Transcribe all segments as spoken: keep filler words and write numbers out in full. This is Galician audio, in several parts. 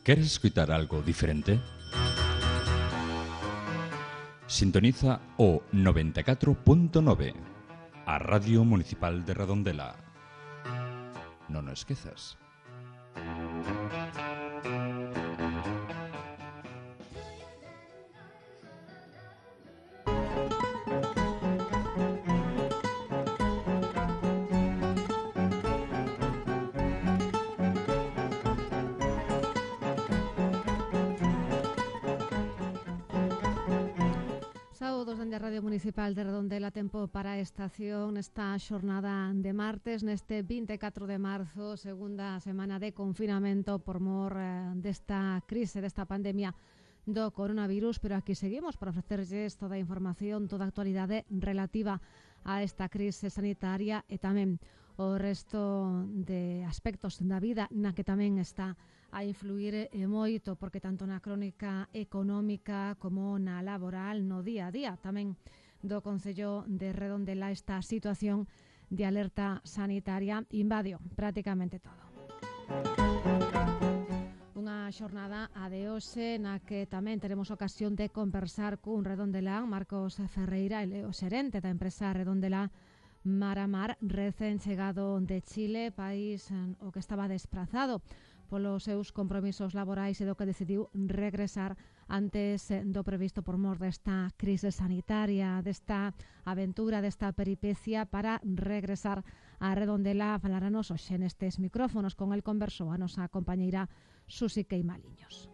¿Queres escuchar algo diferente? Sintoniza o noventa e catro punto nove, a Radio Municipal de Redondela. Non o esquezas. Radio Municipal de Redondela, tempo para a estación esta xornada de martes, neste vinte e catro de marzo, segunda semana de confinamento por mor eh, desta crise, desta pandemia do coronavirus, pero aquí seguimos para ofrecerlles toda a información, toda a actualidade relativa a esta crise sanitaria e tamén o resto de aspectos da vida na que tamén está a influir e moito, porque tanto na crónica económica como na laboral, no día a día tamén do Concello de Redondela, esta situación de alerta sanitaria invadiu prácticamente todo. Unha xornada a de hoxe na que tamén teremos ocasión de conversar cun redondelán, Marcos Ferreira, ele o xerente da empresa Redondela Mar a Mar, recén chegado de Chile, país o que estaba desprazado polos seus compromisos laborais e do que decidiu regresar antes do previsto por mor desta crise sanitaria, desta aventura, desta peripecia para regresar a Redondela. Falaranos hoxe nestes micrófonos. Con el conversou a nosa compañeira Susi Queimaliños.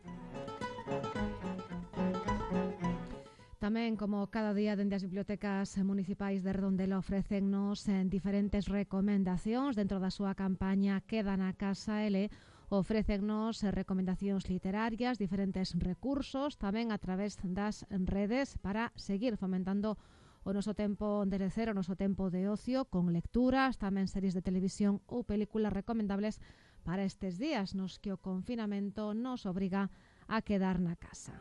Tamén, como cada día, dende as bibliotecas municipais de Redondela ofrécennos diferentes recomendacións dentro da súa campaña Queda na Casa L. Ofrécennos recomendacións literarias, diferentes recursos, tamén a través das redes para seguir fomentando o noso tempo de lecer, o noso tempo de ocio, con lecturas, tamén series de televisión ou películas recomendables para estes días nos que o confinamento nos obriga a quedar na casa.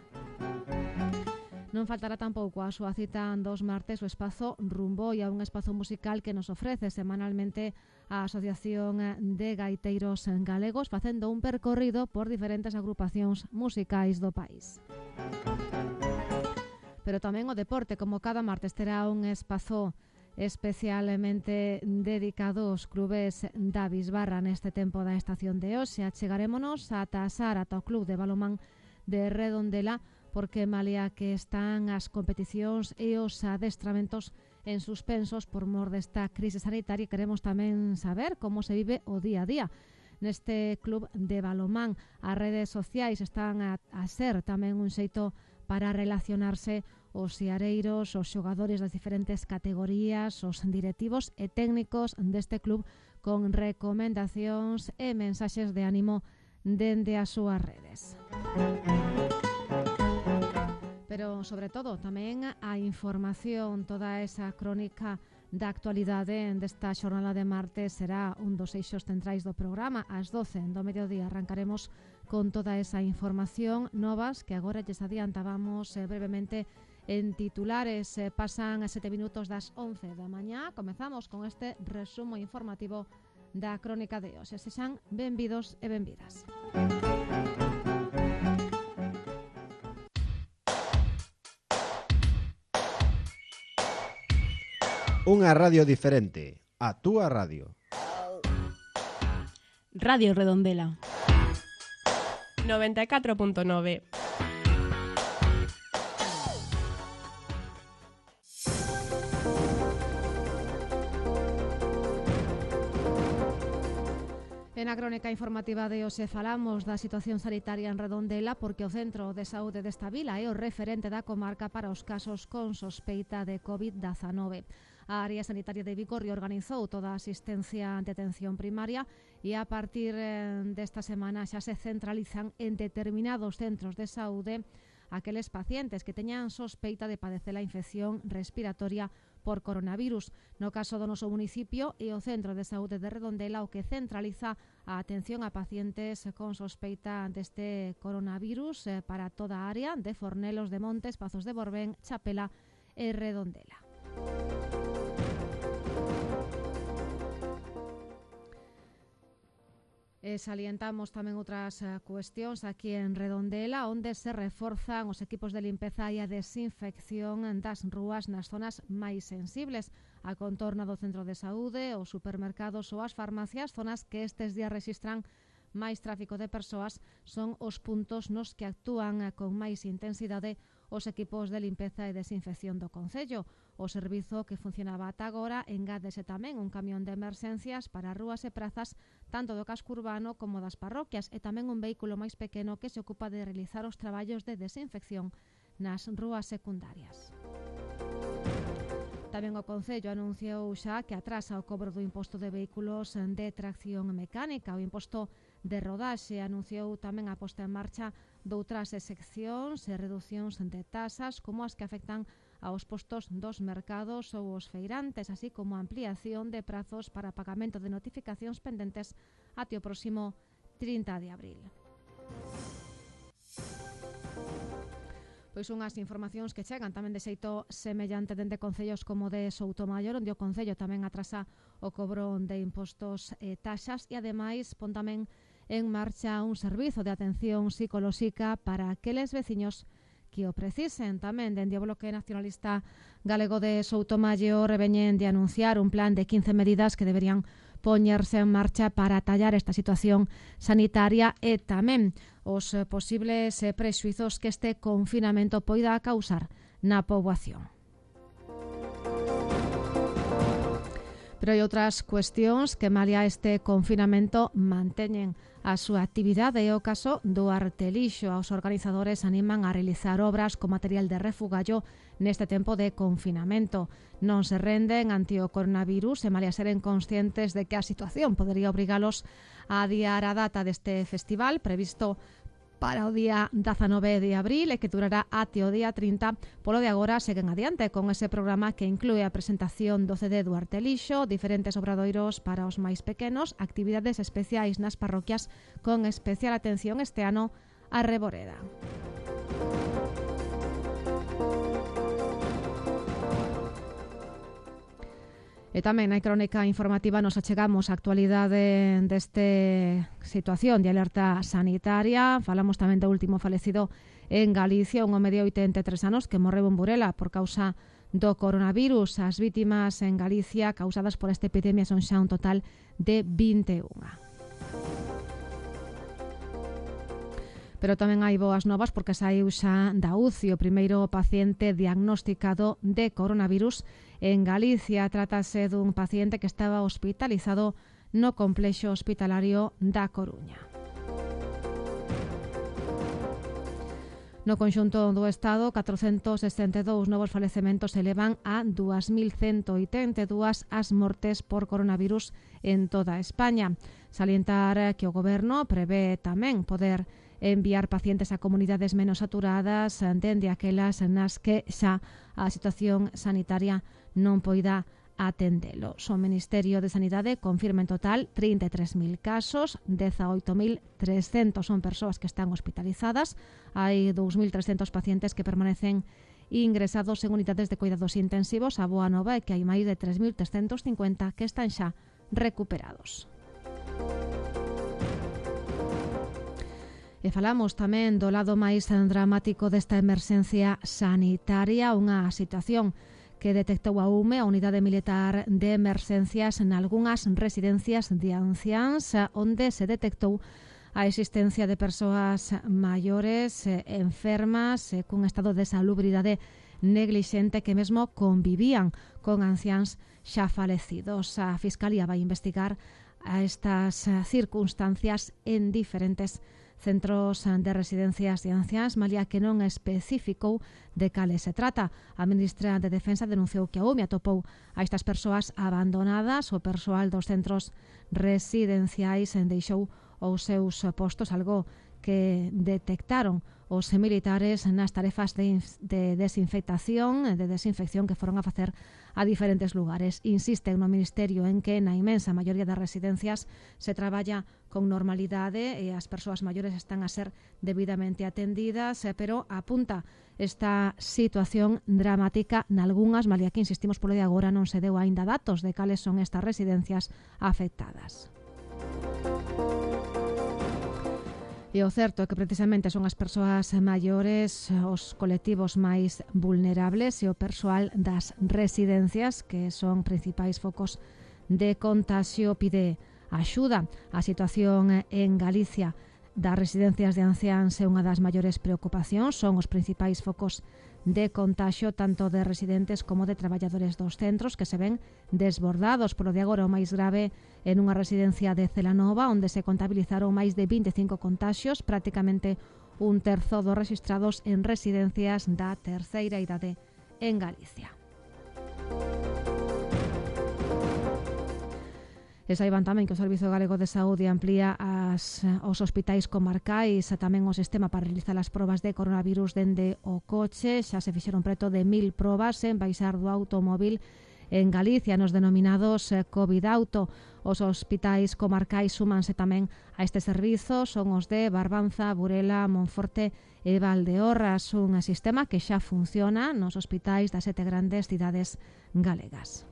Non faltará tampouco a súa cita dos martes o espazo Rumboia, un espazo musical que nos ofrece semanalmente a Asociación de Gaiteiros Galegos, facendo un percorrido por diferentes agrupacións musicais do país. Pero tamén o deporte, como cada martes, terá un espazo especialmente dedicado aos clubes da Bisbarra neste tempo da estación de hoxe. Achegarémonos ata a Sar, ata o Club de Balomán de Redondela, porque malia que están as competicións e os adestramentos en suspensos por mor desta crise sanitaria, queremos tamén saber como se vive o día a día neste club de balomán. As redes sociais están a, a ser tamén un xeito para relacionarse os seareiros, os xogadores das diferentes categorías, os directivos e técnicos deste club, con recomendacións e mensaxes de ánimo dende as súas redes. Pero, sobre todo, tamén a información, toda esa crónica da actualidade desta xornada de martes será un dos eixos centrais do programa. Ás doce do mediodía arrancaremos con toda esa información, novas que agora lles adiantábamos eh, brevemente en titulares. Eh, pasan a sete minutos das once da mañá. Comezamos con este resumo informativo da crónica de hoxe. Sexan benvidos e benvidas. Unha radio diferente, a túa radio. Radio Redondela noventa e catro punto nove. En a crónica informativa de hoxe falamos da situación sanitaria en Redondela, porque o Centro de Saúde desta vila é o referente da comarca para os casos con sospeita de covid dezanove. A área sanitaria de Vigo reorganizou toda a asistencia de atención primaria e a partir desta semana xa se centralizan en determinados centros de saúde aqueles pacientes que teñan sospeita de padecer a infección respiratoria por coronavirus. No caso do noso municipio e o Centro de Saúde de Redondela, o que centraliza a atención a pacientes con sospeita deste coronavirus eh, para toda a área de Fornelos de Montes, Pazos de Borbén, Chapela e Redondela. E salientamos tamén outras uh, cuestións aquí en Redondela, onde se reforzan os equipos de limpeza e a desinfección das rúas nas zonas máis sensibles, a contorna do centro de saúde, os supermercados ou as farmacias, zonas que estes días rexistran máis tráfico de persoas, son os puntos nos que actúan uh, con máis intensidade os equipos de limpeza e desinfección do Concello. O servizo que funcionaba ata agora engádese tamén un camión de emerxencias para rúas e prazas tanto do casco urbano como das parroquias e tamén un vehículo máis pequeno que se ocupa de realizar os traballos de desinfección nas rúas secundarias. Tamén o Concello anunciou xa que atrasa o cobro do imposto de vehículos de tracción mecánica. O imposto de rodaxe anunciou tamén a posta en marcha doutras seccións e reducións de tasas como as que afectan aos postos dos mercados ou os feirantes, así como a ampliación de prazos para pagamento de notificacións pendentes até o próximo trinta de abril. Pois unhas informacións que chegan tamén de xeito semellante dende concellos como de Soutomaior, onde o Concello tamén atrasa o cobro de impostos e taxas e ademais pon tamén en marcha un servizo de atención psicolóxica para aqueles veciños que o precisen. Tamén dende o Bloque Nacionalista Galego de Soutomaior veñen de anunciar un plan de quince medidas que deberían poñerse en marcha para atallar esta situación sanitaria e tamén os posibles prexuizos que este confinamento poida causar na poboación. Pero hai outras cuestións que, malia este confinamento, manteñen a súa actividade e o caso do Artelixo. Os organizadores animan a realizar obras con material de refugallo neste tempo de confinamento. Non se renden ante o coronavirus e, malia seren conscientes de que a situación podería obrigalos a adiar a data deste festival previsto para o día dezanove de abril e que durará até o día trinta. Polo de agora seguen adiante con ese programa que inclúe a presentación do C D do Artelixo, diferentes obradoiros para os máis pequenos, actividades especiais nas parroquias con especial atención este ano a Reboreda. E tamén na crónica informativa nos achegamos a actualidade deste situación de alerta sanitaria. Falamos tamén do último falecido en Galicia, un home de oitenta e tres anos que morreu en Burela por causa do coronavirus. As vítimas en Galicia causadas por esta epidemia son xa un total de vinte e unha. Pero tamén hai boas novas porque saiu xa da U C I o primeiro paciente diagnosticado de coronavirus en Galicia. Trátase dun paciente que estaba hospitalizado no complexo hospitalario da Coruña. No conxunto do Estado, catrocentos sesenta e dous novos falecementos elevan a dúas mil cento oitenta e dúas as mortes por coronavirus en toda España. Salientar que o Goberno prevé tamén poder enviar pacientes a comunidades menos saturadas dende aquelas nas que xa a situación sanitaria non poida atendelo. O Ministerio de Sanidade confirma en total trinta e tres mil casos, dezaoito mil trescentos son persoas que están hospitalizadas, hai dous mil trescentos pacientes que permanecen ingresados en unidades de cuidados intensivos. A boa nova é que hai máis de tres mil trescentos cincuenta que están xa recuperados. E falamos tamén do lado máis dramático desta emerxencia sanitaria, unha situación que detectou a U M E, a Unidade Militar de Emerxencias, en algunhas residencias de anciáns, onde se detectou a existencia de persoas maiores, enfermas, cun estado de salubridade neglixente que mesmo convivían con anciáns xa falecidos. A Fiscalía vai investigar a estas circunstancias en diferentes centros de residencias de anciáns, malia que non especificou de cales se trata. A ministra de Defensa denunciou que a U M E atopou a estas persoas abandonadas. O persoal dos centros residenciais deixou os seus postos, algo que detectaron os militares nas tarefas de, de desinfectación, de desinfección que foron a facer a diferentes lugares. Insisten no Ministerio en que na inmensa maioría das residencias se traballa con normalidade e as persoas maiores están a ser debidamente atendidas, pero apunta esta situación dramática nalgunhas, malia que insistimos polo de agora non se deu aínda datos de cales son estas residencias afectadas. E o certo é que precisamente son as persoas maiores os colectivos máis vulnerables e o persoal das residencias que son principais focos de contagio. Pide axuda. A situación en Galicia das residencias de anciáns é unha das maiores preocupacións. Son os principais focos de contagio tanto de residentes como de traballadores dos centros que se ven desbordados. Polo de agora o máis grave en unha residencia de Celanova onde se contabilizaron máis de vinte e cinco contagios, prácticamente un terzo dos registrados en residencias da terceira idade en Galicia. E saiban tamén que o Servizo Galego de Saúde amplía as, os hospitais comarcais e tamén o sistema para realizar as probas de coronavirus dende o coche. Xa se fixeron preto de mil probas en baixar do automóvil en Galicia nos denominados COVID Auto. Os hospitais comarcais súmanse tamén a este servizo, son os de Barbanza, Burela, Monforte e Valdeorras, un sistema que xa funciona nos hospitais das sete grandes cidades galegas.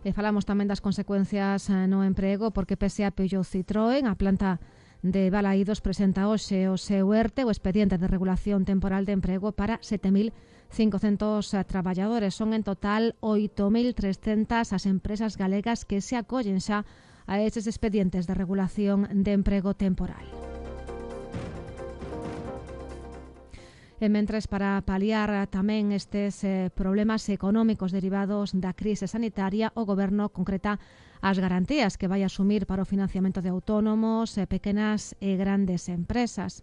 E falamos tamén das consecuencias no emprego porque pese a Peugeot Citroën, a planta de Balaídos presenta hoxe o seu ERTE, o expediente de regulación temporal de emprego para sete mil cincocentos traballadores. Son en total oito mil trescentas as empresas galegas que se acollen xa a estes expedientes de regulación de emprego temporal. E mentres, para paliar tamén estes eh, problemas económicos derivados da crise sanitaria, o Goberno concreta as garantías que vai asumir para o financiamento de autónomos, eh, pequenas e grandes empresas.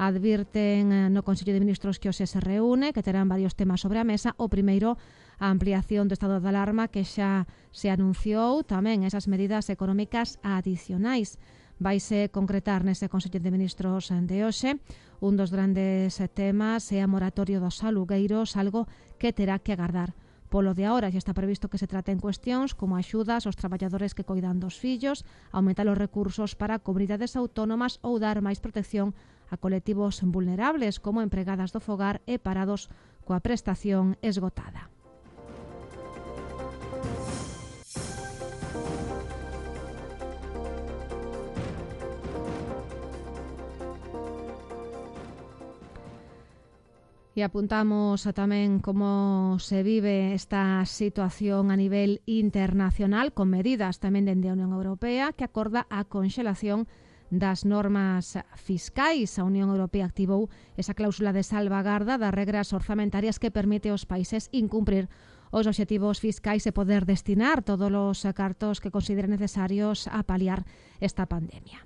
Advirten no Consello de Ministros que hoxe se reúne, que terán varios temas sobre a mesa. O primeiro, a ampliación do estado de alarma que xa se anunciou, tamén esas medidas económicas adicionais. Vaise concretar nese Consello de Ministros de hoxe. Un dos grandes temas é a moratoria dos alugueiros, algo que terá que agardar. Polo de agora xa está previsto que se traten cuestións como axudas aos traballadores que coidan dos fillos, aumentar os recursos para comunidades autónomas ou dar máis protección a colectivos vulnerables como empregadas do fogar e parados coa prestación esgotada. E apuntamos a tamén como se vive esta situación a nivel internacional con medidas tamén dende a Unión Europea que acorda a conxelación das normas fiscais. A Unión Europea activou esa cláusula de salvagarda das regras orzamentarias que permite aos países incumprir os obxectivos fiscais e poder destinar todos os cartos que consideren necesarios a paliar esta pandemia.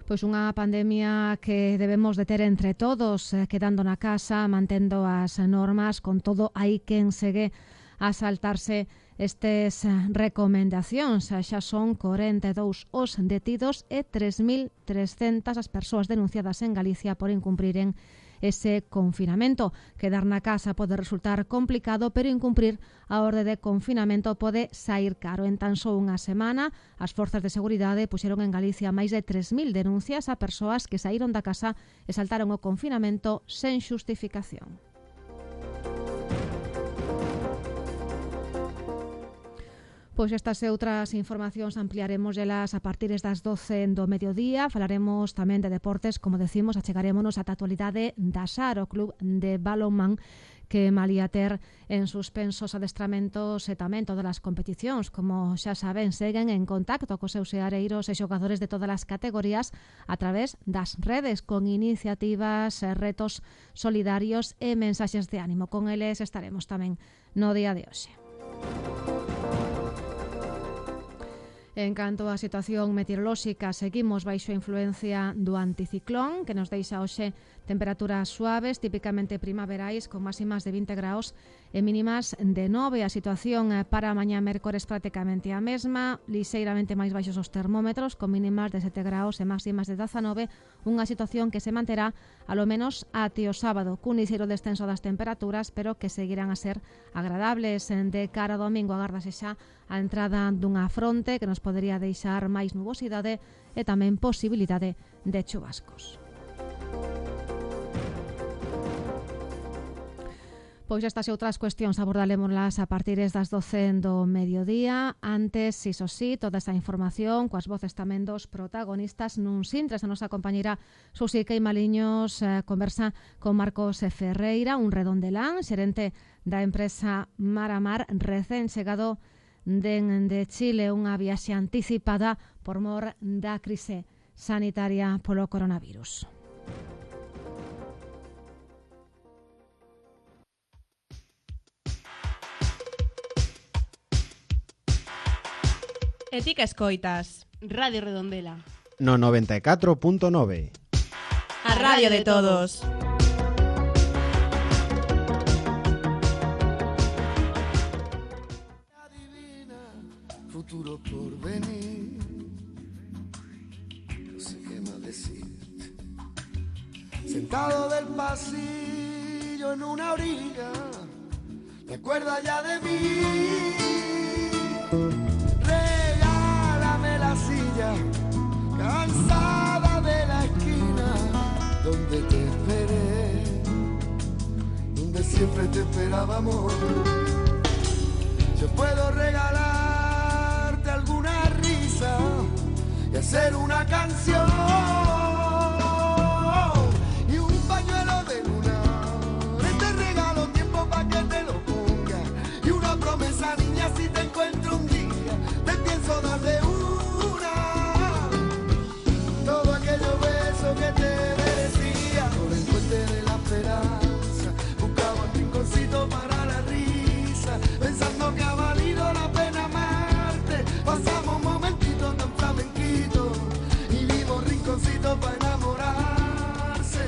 Pois unha pandemia que debemos de ter entre todos, eh, quedando na casa, mantendo as normas, con todo hai quen segue a saltarse estes recomendacións. Xa son corenta e dous os detidos e tres mil trescentas as persoas denunciadas en Galicia por incumpriren ese confinamento. Quedar na casa pode resultar complicado, pero incumprir a orde de confinamento pode sair caro. En tan só unha semana, as forzas de seguridade puxeron en Galicia máis de tres mil denuncias a persoas que saíron da casa e saltaron o confinamento sen xustificación. Pois estas e outras informacións ampliaremos elas a partir das doce do mediodía. Falaremos tamén de deportes, como decimos, achegarémonos ata a actualidade da Sar, o club de balonmán que malía ter en suspensos adestramentos e tamén todas as competicións. Como xa saben, seguen en contacto cos seus seareiros e xogadores de todas as categorías a través das redes, con iniciativas, retos solidarios e mensaxes de ánimo. Con eles estaremos tamén no día de hoxe. En canto á situación meteorolóxica, seguimos baixo a influencia do anticiclón, que nos deixa hoxe temperaturas suaves, típicamente primaverais, con máximas de vinte graus e mínimas de nove. A situación para mañá mércores prácticamente a mesma, lixeiramente máis baixos os termómetros, con mínimas de sete graus e máximas de dezanove, unha situación que se manterá alo menos até o sábado, cun lixeiro descenso das temperaturas, pero que seguirán a ser agradables. De cara ao domingo agárdase xa a entrada dunha fronte que nos podería deixar máis nubosidade e tamén posibilidade de chuvascos. Pois estas e outras cuestións abordalémolas a partir das doce do mediodía. Antes, iso sí, toda esa información coas voces tamén dos protagonistas nun sintres. A nosa compañeira Susi Queimaliños eh, conversa con Marcos Ferreira, un redondelán, xerente da empresa Mar a Mar, recén chegado den de Chile, unha viaxe anticipada por mor da crise sanitaria polo coronavirus. E ti que escoitas? Radio Redondela. No noventa e catro punto nove. A radio de todos. Adivina, futuro por venir. No sé qué más decirte. Sentado del pasillo en una orilla, ¿te acuerdas ya de mí? La silla, cansada de la esquina donde te esperé, donde siempre te esperaba, amor. Yo puedo regalarte alguna risa y hacer una canción y un pañuelo de luna. Te regalo tiempo para que te lo ponga y una promesa, niña, si te encuentro un día te pienso dar de un que te merecía. Por el puente de la esperanza buscaba un rinconcito para la risa, pensando que ha valido la pena amarte. Pasamos un momentito tan flamenquito y vimos rinconcito para enamorarse.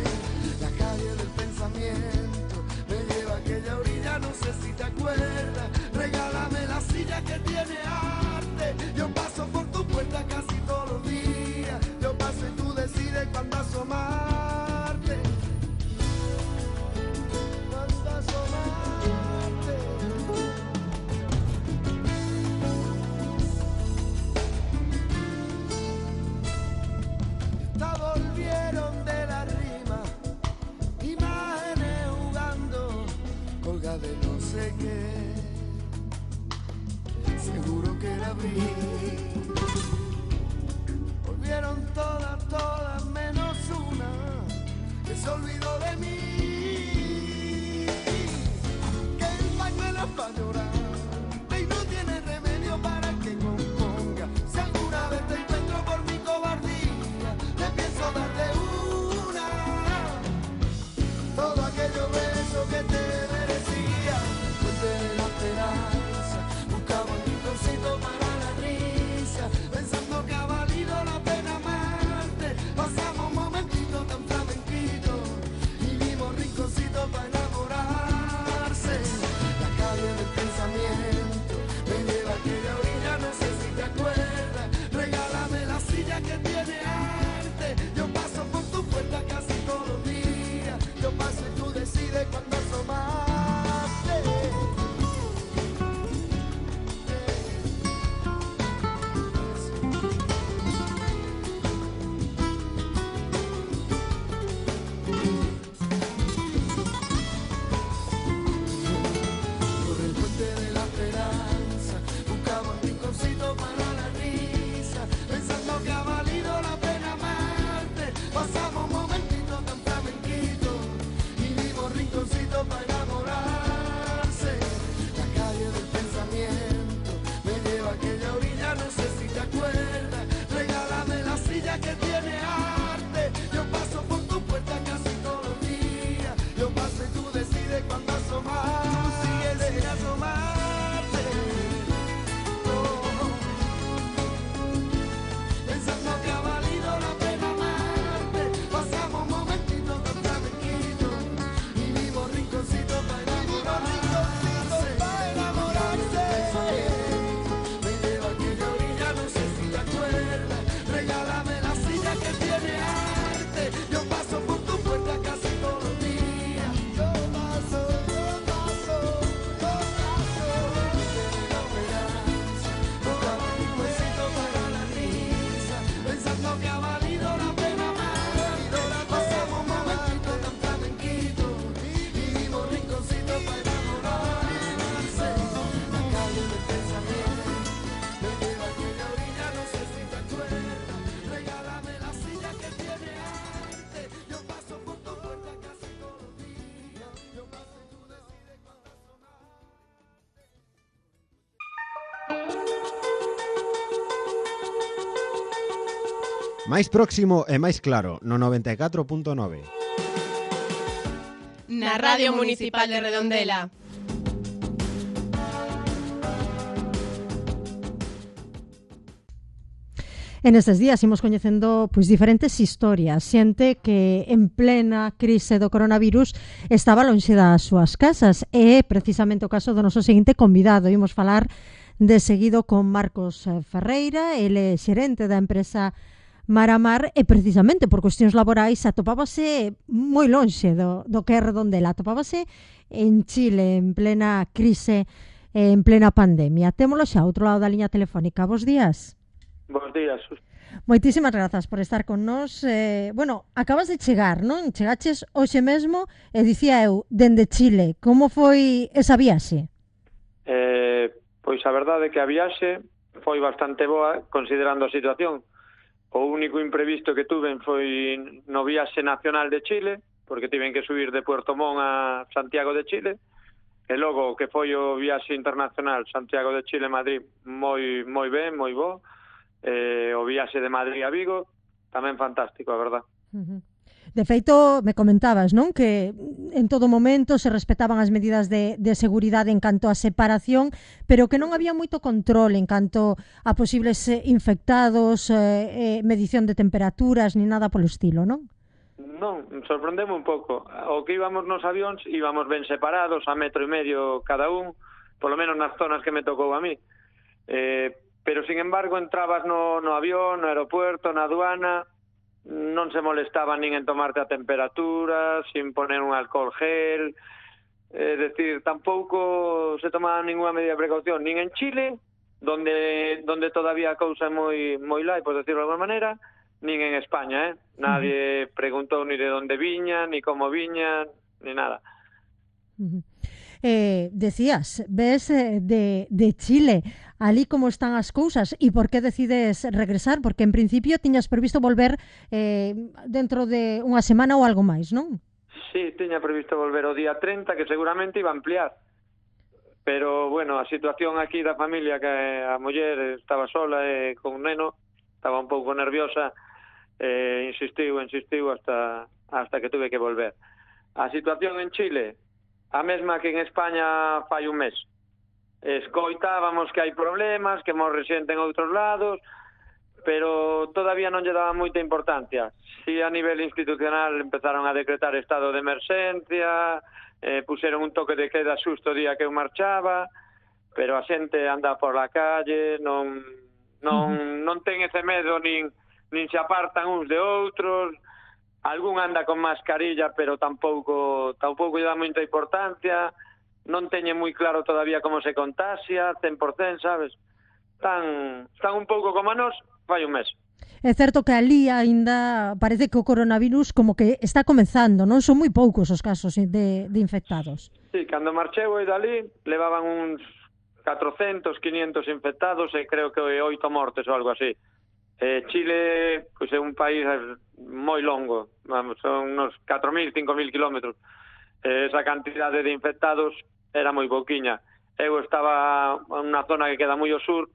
La calle del pensamiento me lleva a aquella orilla, no sé si te acuerdas. Regálame la silla que tiene arte. Yo paso por tu puerta casi todos los días. Yo paso y tú decides cuándo asomarte. Cuándo asomarte. Esta volvieron de la rima, imágenes jugando, colga de no sé qué. Seguro que era abril. Volvieron todas, todas menos una que se olvidó de mí. Que el pañuelo es para llorar y no tiene remedio para que componga. Si alguna vez te encuentro por mi cobardía, te pienso dar de una todo aquello beso que te merecía. Fuente de la esperanza, buscaba un rinconcito para la risa, pensando que ha valido la pena amarte. Pasamos un momentito tan flamenquito y vimos rinconcito para enamorarse. La calle del pensamiento Máis próximo e máis claro, no noventa e catro punto nove. Na Radio Municipal de Redondela. En estes días imos coñecendo pois diferentes historias, xente que en plena crise do coronavirus estaba lonxe das súas casas, e é precisamente o caso do noso seguinte convidado. Imos falar de seguido con Marcos Ferreira, ele é xerente da empresa Maramar, e precisamente por cuestións laborais atopábase moi lonxe do, do que é Redondela, atopábase en Chile en plena crise, en plena pandemia. Témolo xa outro lado da liña telefónica. Bos días. Bos días. Moitísimas grazas por estar con nós. Eh, bueno, acabas de chegar, non? Chegaches hoxe mesmo e dicía eu, dende Chile. Como foi esa viaxe? Eh, pois a verdade é que a viaxe foi bastante boa considerando a situación. O único imprevisto que tuven foi no viaxe nacional de Chile, porque tiven que subir de Puerto Montt a Santiago de Chile, e logo que foi o viaxe internacional Santiago de Chile-Madrid moi moi ben, moi bo. Eh, o viaxe de Madrid a Vigo tamén fantástico, a verdad. Uh-huh. De feito, me comentabas, non? Que en todo momento se respetaban as medidas de, de seguridade en canto a separación, pero que non había moito control en canto a posibles infectados, eh, eh, medición de temperaturas, ni nada polo estilo, non? Non, sorprendeme un pouco. O que íbamos nos avións, íbamos ben separados, a metro e medio cada un, polo menos nas zonas que me tocou a mí. Eh, pero, sin embargo, entrabas no, no avión, no aeropuerto, na aduana, non se molestaba nin en tomarte a temperatura, sin poner un alcohol gel, é dicir, tampouco se tomaba ninguna medida de precaución, nin en Chile, donde donde todavía a cousa é moi moi light, por decirlo de alguma maneira, nin en España, eh? Nadie uh-huh. preguntou ni de onde viña, ni como viña, ni nada. Uh-huh. Eh, decías, ves eh, de, de Chile, ali como están as cousas, e por que decides regresar? Porque en principio tiñas previsto volver eh, dentro de unha semana ou algo máis, non? Sí, tiña previsto volver o día treinta, que seguramente iba a ampliar. Pero, bueno, a situación aquí da familia, que a muller estaba sola e con un neno, estaba un pouco nerviosa, eh, insistiu, insistiu hasta, hasta que tuve que volver. A situación en Chile, a mesma que en España fai un mes. Escoitábamos que hai problemas, que morre xente en outros lados, pero todavía non lle daba moita importancia. Si a nivel institucional empezaron a decretar estado de emerxencia, eh, puseron un toque de queda xusto o día que eu marchaba, pero a xente anda por la calle, non non non ten ese medo, nin nin se apartan uns de outros. Algún anda con mascarilla, pero tampouco tampouco lle dá moita importancia. Non teñen moi claro todavía como se contagia, cen por cento, sabes? Están, están un pouco como a nós, fai un mes. É certo que ali aínda parece que o coronavirus como que está comenzando, non? Son moi poucos os casos de, de infectados. Sí, cando marcheu e dali levaban uns catrocentos, quinientos infectados e creo que oito mortes ou algo así. Eh, Chile, pois, é un país moi longo, vamos, son uns catro mil, cinco mil kilómetros. Eh, esa cantidade de infectados era moi pouquiña. Eu estaba en unha zona que queda moi ao sur,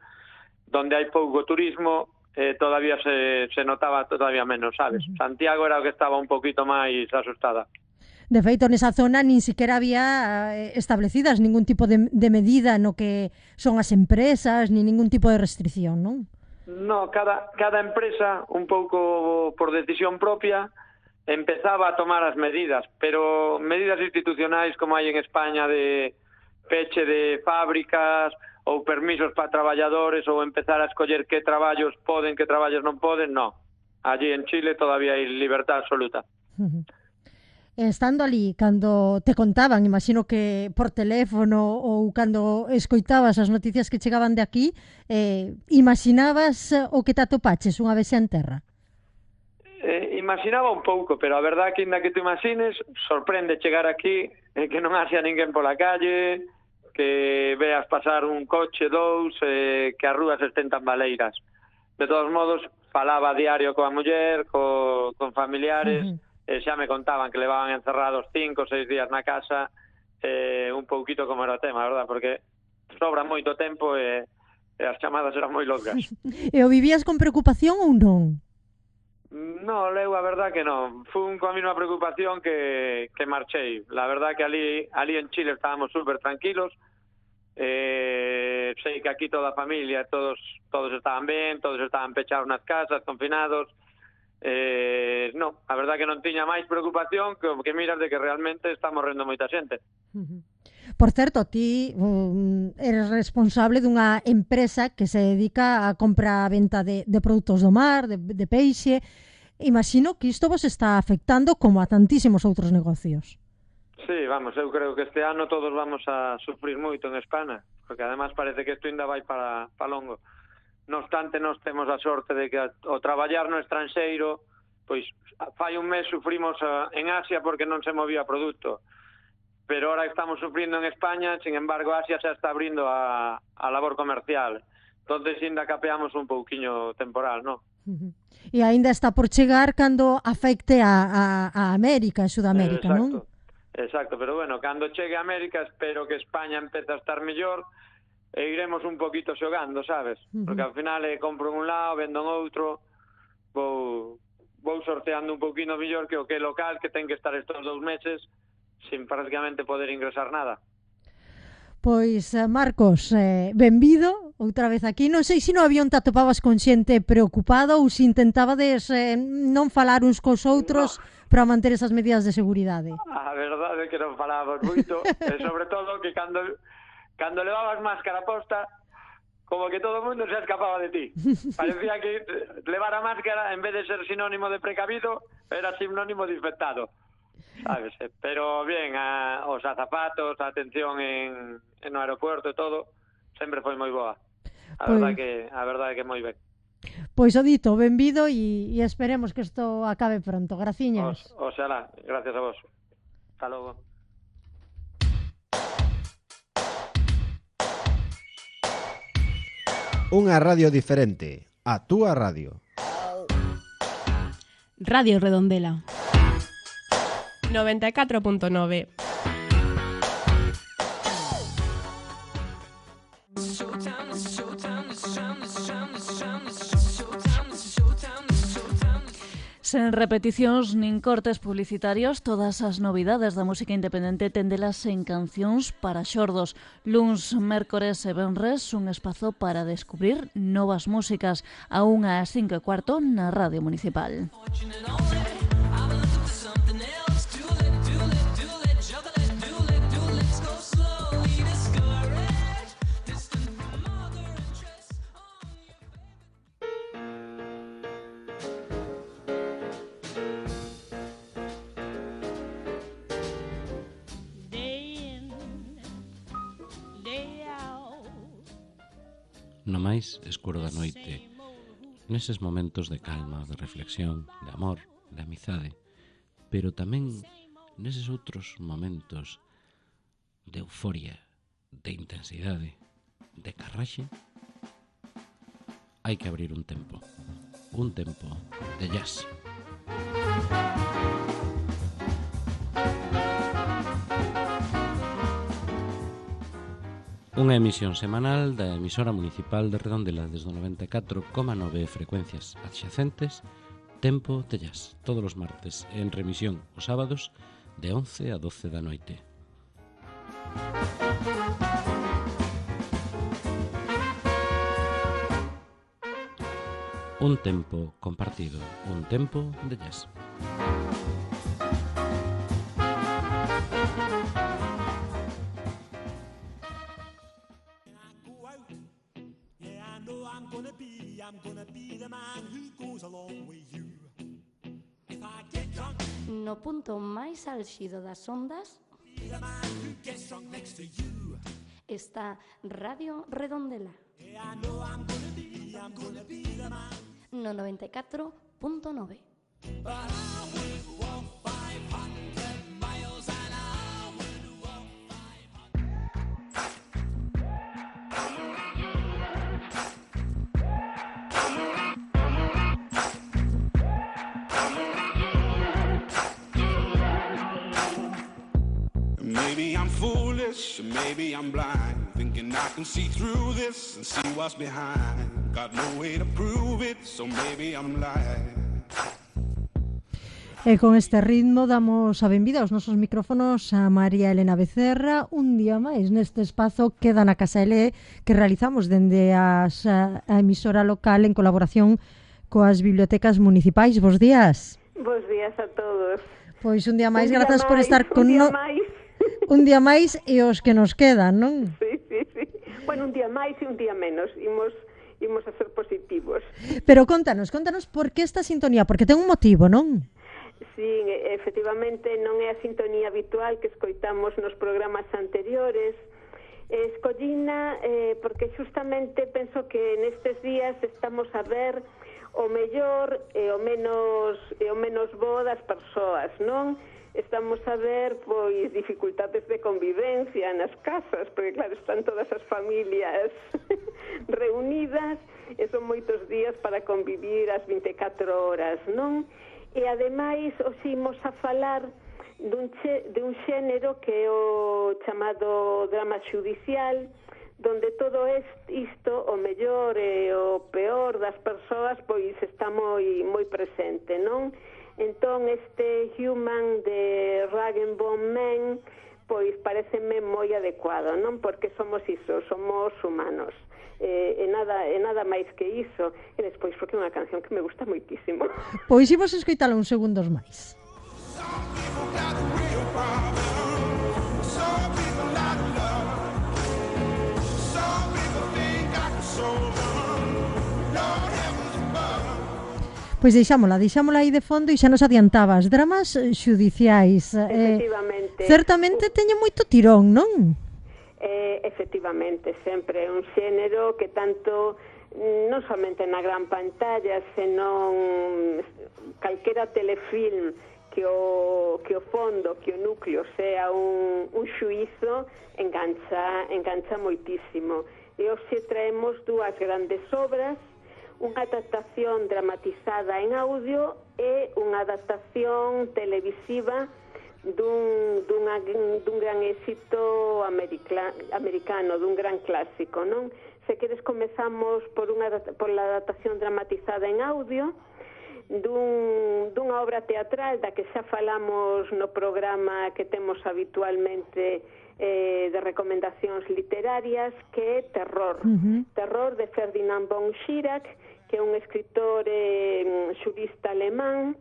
donde hai pouco turismo, eh, todavía se, se notaba todavía menos, sabes? Uh-huh. Santiago era o que estaba un poquito máis asustada. De feito, nesa zona nin siquiera había establecidas ningún tipo de, de medida no que son as empresas, ni ningún tipo de restricción, non? No, cada, cada empresa, un pouco por decisión propia, empezaba a tomar as medidas, pero medidas institucionais como hai en España de peche de fábricas ou permisos para traballadores ou empezar a escoller que traballos poden, que traballos non poden, no. Allí en Chile todavía hai libertad absoluta. Uh-huh. Estando ali, cando te contaban, imagino que por teléfono ou cando escoitabas as noticias que chegaban de aquí, eh, imaginabas o que te atopaches unha vez en terra? Eh, imaginaba un pouco, pero a verdad que ainda que te imagines, sorprende chegar aquí e eh, que non haxa ninguén pola calle, que veas pasar un coche, dous, eh, que as rúas estén tan baleiras. De todos modos, falaba a diario coa muller, co, con familiares, uh-huh. E xa me contaban que levaban encerrados cinco ou seis días na casa, eh, un pouquito como era o tema, verdad? Porque sobra moito tempo e, e as chamadas eran moi longas. E o vivías con preocupación ou non? No, leu a verdad que non. Fun coa mesma preocupación que, que marchei. La verdad que ali, ali en Chile estábamos súper tranquilos. Eh, sei que aquí toda a familia, todos todos estaban ben, todos estaban pechados nas casas, confinados. Eh, no, a verdad que non tiña máis preocupación que, que miras de que realmente está morrendo moita xente. Uh-huh. Por certo, ti um, eres responsable dunha empresa que se dedica a compra e venta de, de produtos do mar, de, de peixe. Imagino que isto vos está afectando como a tantísimos outros negocios. Sí, vamos, eu creo que este ano todos vamos a sufrir moito en España, porque además parece que isto ainda vai para, para longo. No obstante, nós temos a sorte de que o traballar no estranxeiro, pois fai un mes sufrimos a, en Asia porque non se movía produto. Pero ahora estamos sufrindo en España, sin embargo, Asia xa está abrindo a, a labor comercial. Entonces, ainda capeamos un pouquiño temporal, non? Uh-huh. E aínda está por chegar cando afecte a, a, a América, a Sudamérica, eh, non? Exacto, pero bueno, cando chegue a América, espero que España empece a estar mellor e iremos un poquito xogando, sabes? Uh-huh. Porque ao final eh, compro un lado, vendo en outro, vou, vou sorteando un poquino mellor que o que é local, que ten que estar estos dous meses sin prácticamente poder ingresar nada. Pois, Marcos, eh, benvido outra vez aquí. Non sei se no avión te atopabas con xente preocupada ou se intentabades eh, non falar uns cos outros no. para manter esas medidas de seguridade. A verdade é que non falábamos moito, e sobre todo que cando, cando levabas máscara posta, como que todo o mundo se escapaba de ti. Parecía que levar a máscara, en vez de ser sinónimo de precavido, era sinónimo de infectado. Sabes, pero bien, a, os azafatos, a atención en, en no aeropuerto e todo, sempre foi moi boa. A pois, verdade que a verdade que moi ben. Pois o dito, benvido e, e esperemos que isto acabe pronto. Graciñas. Os, oxalá, gracias a vos. Hasta logo. Unha radio diferente, a túa radio. Radio Redondela noventa e catro punto nove. Sen repeticións nin cortes publicitarios, todas as novidades da música independente tendelas en Cancións para Xordos. Luns, mércores e venres, un espazo para descubrir novas músicas, a unha ás cinco e cuarto na Radio Municipal. No máis escuro da noite, neses momentos de calma, de reflexión, de amor, de amizade, pero tamén neses outros momentos de euforia, de intensidade, de carraxe, hai que abrir un tempo, un tempo de jazz. Unha emisión semanal da emisora municipal de Redondela desde o noventa e catro coma nove frecuencias adxacentes, Tempo de Jazz, todos os martes, en remisión os sábados de once a doce da noite. Un tempo compartido, un tempo de jazz. No punto máis álxido das ondas está Radio Redondela no noventa e catro punto nove. Maybe I'm foolish, maybe I'm blind, thinking I can see through this and see what's behind. Got no way to prove it, so maybe I'm lying. E con este ritmo damos a benvida aos nosos micrófonos a María Elena Becerra un día máis neste espazo Queda na Casa L que realizamos dende as, a, a emisora local en colaboración coas bibliotecas municipais. Bos días. Bos días a todos. Pois un día máis, un día grazas máis, por estar con un día no... máis. Un día máis e os que nos quedan, non? Sí, sí, sí. Bueno, un día máis e un día menos. Imos imos a ser positivos. Pero contanos, contanos por que esta sintonía, porque ten un motivo, non? Sí, efectivamente non é a sintonía habitual que escoitamos nos programas anteriores. Escollina eh, porque justamente penso que nestes días estamos a ver o mellor e o menos e o menos bo das persoas, non? Estamos a ver pois dificultades de convivencia nas casas, porque claro, están todas as familias reunidas e son moitos días para convivir as vinte e catro horas, non? E ademais os imos a falar dun, che, de un xénero que é o chamado drama xudicial, donde todo isto, o mellor e o peor das persoas, pois está moi moi presente, non? Entón, este Human de Rag and Bone Man, pois pareceme moi adecuado, non? Porque somos iso, somos humanos. E, e, nada, e nada máis que iso. E despois, porque é unha canción que me gusta moitísimo. Pois imos escoitala uns segundos máis. Pois deixámola, deixámola aí de fondo e xa nos adiantabas, dramas xudiciais. Efectivamente. Eh, certamente teñen moito tirón, non? Eh, efectivamente, sempre é un xénero que tanto non somente na gran pantalla, senón calquera telefilm que o, que o fondo, que o núcleo sea un, un xuízo, engancha, engancha moitísimo. E hoxe traemos dúas grandes obras, unha adaptación dramatizada en audio e unha adaptación televisiva dun, dunha, dun gran éxito americla, americano, dun gran clásico, non? Se queres comezamos por, unha, por la adaptación dramatizada en audio dun, dunha obra teatral da que xa falamos no programa que temos habitualmente eh, de recomendacións literarias, que é Terror. Uh-huh. Terror de Ferdinand von Schirach, que é un escritor eh, xurista alemán,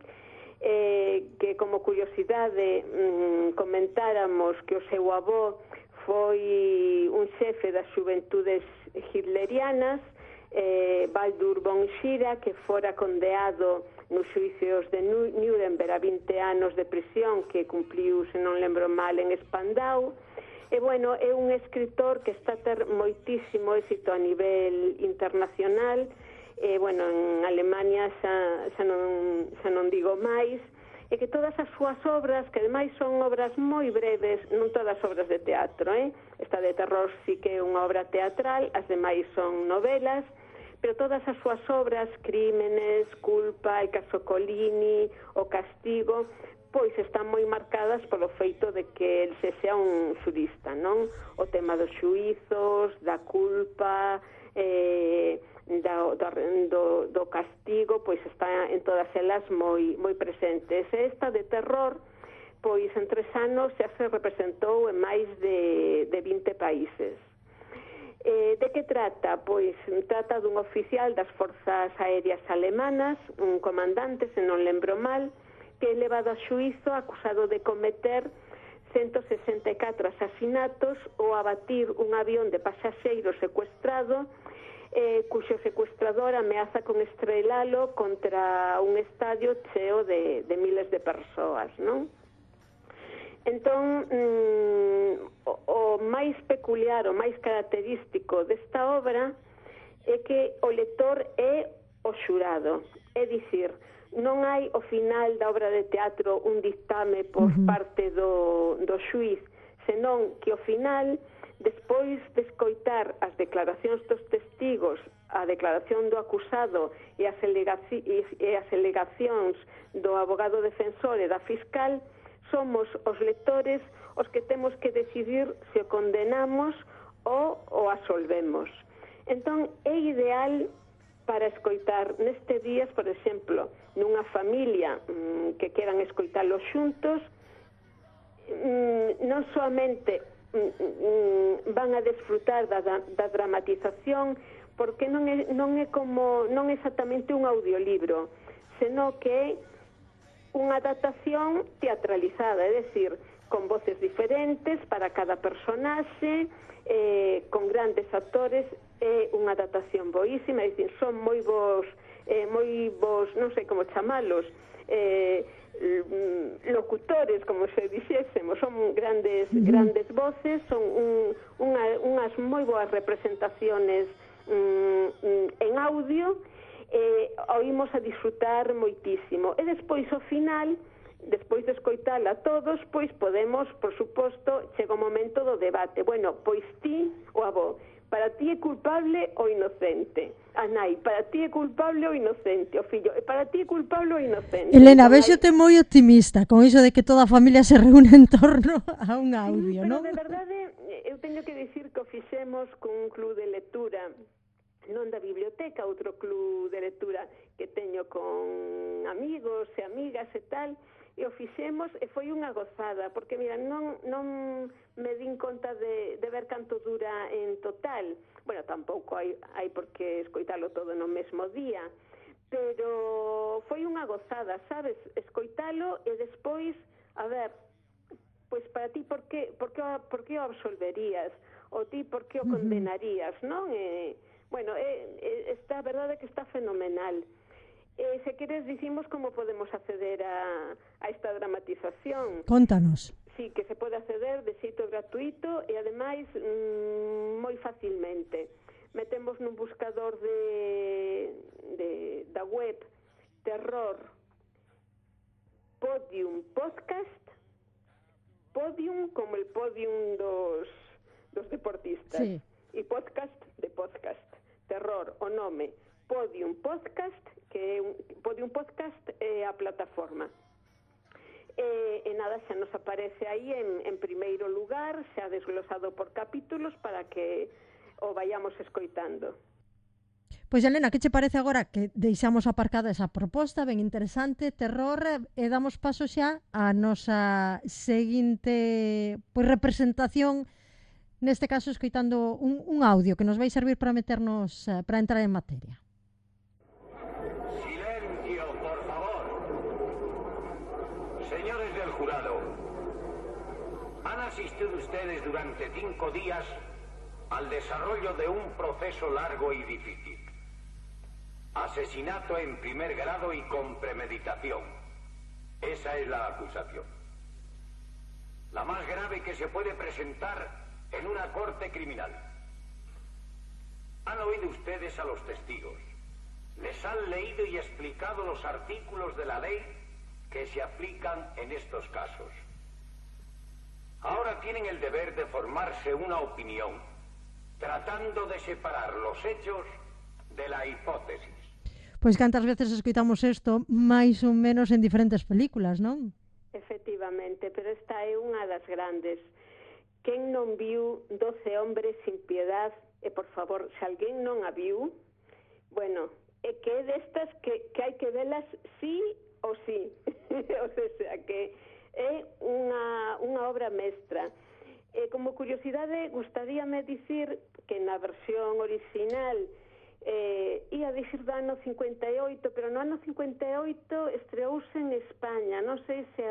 eh, que como curiosidade mm, comentáramos que o seu avó foi un xefe das xuventudes hitlerianas, eh, Baldur von Schirach, que fora condeado nos xuicios de Nuremberg a vinte anos de prisión, que cumpliu, se non lembro mal, en Spandau. E, bueno, é un escritor que está a ter moitísimo éxito a nivel internacional. E, bueno, en Alemania xa, xa, non, xa non digo máis, e que todas as súas obras, que ademais son obras moi breves, non todas obras de teatro, eh? Esta de Terror sí que é unha obra teatral, as demais son novelas, pero todas as súas obras, Crímenes, Culpa, El caso Colini, O castigo, pois están moi marcadas polo feito de que el se sea un xurista, non? O tema dos xuizos, da culpa, eh... Do, do, do castigo, pois está en todas elas moi, moi presentes. E esta de Terror, pois en tres anos xa se representou en máis de, de vinte países. Eh, de que trata? Pois trata dun oficial das forzas aéreas alemanas, un comandante, se non lembro mal, que é levado a xuízo acusado de cometer ciento sesenta e catro asasinatos ou abatir un avión de pasaxeiros secuestrado, Eh, cuxo secuestrador ameaza con estrelalo contra un estadio cheo de, de miles de persoas, non? Entón, mm, o, o máis peculiar, o máis característico desta obra é que o lector é o xurado, é dicir, non hai ao final da obra de teatro un dictame por uh-huh. parte do, do xuiz, senón que ao final, despois de escoitar as declaracións dos testigos, a declaración do acusado e as, alegaci- e as alegacións do abogado defensor e da fiscal, somos os lectores os que temos que decidir se o condenamos ou o absolvemos. Entón, é ideal para escoitar neste días, por exemplo, nunha familia mm, que queran escoitalo xuntos, mm, non soamente mm, van a desfrutar da, da dramatización, porque non é, non é como non é exactamente un audiolibro, senón que é unha adaptación teatralizada, é dicir, con voces diferentes para cada personaxe, eh, con grandes actores, é unha adaptación boísima, é dicir, son moi vos, eh, moi vos, non sei como chamalos, eh, locutores, como se dixésemos, son grandes uh-huh. grandes voces, son un, unha, unhas moi boas representaciones um, en audio, eh, oímos a disfrutar moitísimo. E despois, ao final, despois de escoitala a todos, pois podemos, por suposto, chega o momento do debate. Bueno, pois ti, o avó, para ti é culpable ou inocente? A nai, para ti é culpable ou inocente? O fillo, para ti é culpable ou inocente? Elena, véxote moi optimista con iso de que toda a familia se reúne en torno a un audio, sí, non? Pero de verdade, eu teño que dicir que o fixemos con un club de lectura, non da biblioteca, outro club de lectura que teño con amigos e amigas e tal, e o fixemos e foi unha gozada, porque, mira, non, non me din conta de, de ver canto dura en total. Bueno, tampouco hai, hai por que escoitalo todo no mesmo día, pero foi unha gozada, sabes, escoitalo e despois, a ver, pois para ti, por que, por que, por que o absolverías? Ou ti, por que o condenarías, non? E, bueno, é, é, está, a verdade é que está fenomenal. Eh, se queres, dicimos como podemos acceder a, a esta dramatización. Contanos. Sí, que se pode acceder de xeito gratuito e, ademais, mmm, moi facilmente. Metemos nun buscador de, de da web Terror Podium Podcast, Podium como el podium dos, dos deportistas, sí. E podcast de podcast. Terror, o nome, Podium Podcast, que é un, Podium Podcast é a plataforma. E, e nada, xa nos aparece aí en, en primeiro lugar, xa desglosado por capítulos para que o vayamos escoitando. Pois, Elena, que che parece agora que deixamos aparcada esa proposta ben interesante, terror, e damos paso xa a nosa seguinte pois, representación, neste caso escoitando un, un audio que nos vai servir para meternos, para entrar en materia. Silencio, por favor. Señores del jurado, han asistido ustedes durante cinco días al desarrollo de un proceso largo y difícil. Asesinato en primer grado y con premeditación. Esa es la acusación. La más grave que se puede presentar en una corte criminal. Han oído ustedes a los testigos. Les han leído y explicado los artículos de la ley que se aplican en estos casos. Ahora tienen el deber de formarse una opinión, tratando de separar los hechos de la hipótesis. Pois cantas veces escoitamos isto, máis ou menos en diferentes películas, non? Efectivamente, pero esta é unha das grandes. Quen non viu doce hombres sin piedad? E, por favor, se alguén non a viu, bueno, é que é destas que, que hai que velas sí ou sí. O sea, que é unha, unha obra mestra. E, como curiosidade, gustaríame dicir que na versión original eh, ia dicir do ano cincuenta e oito, pero no ano cincuenta e oito estreouse en España. Non sei se,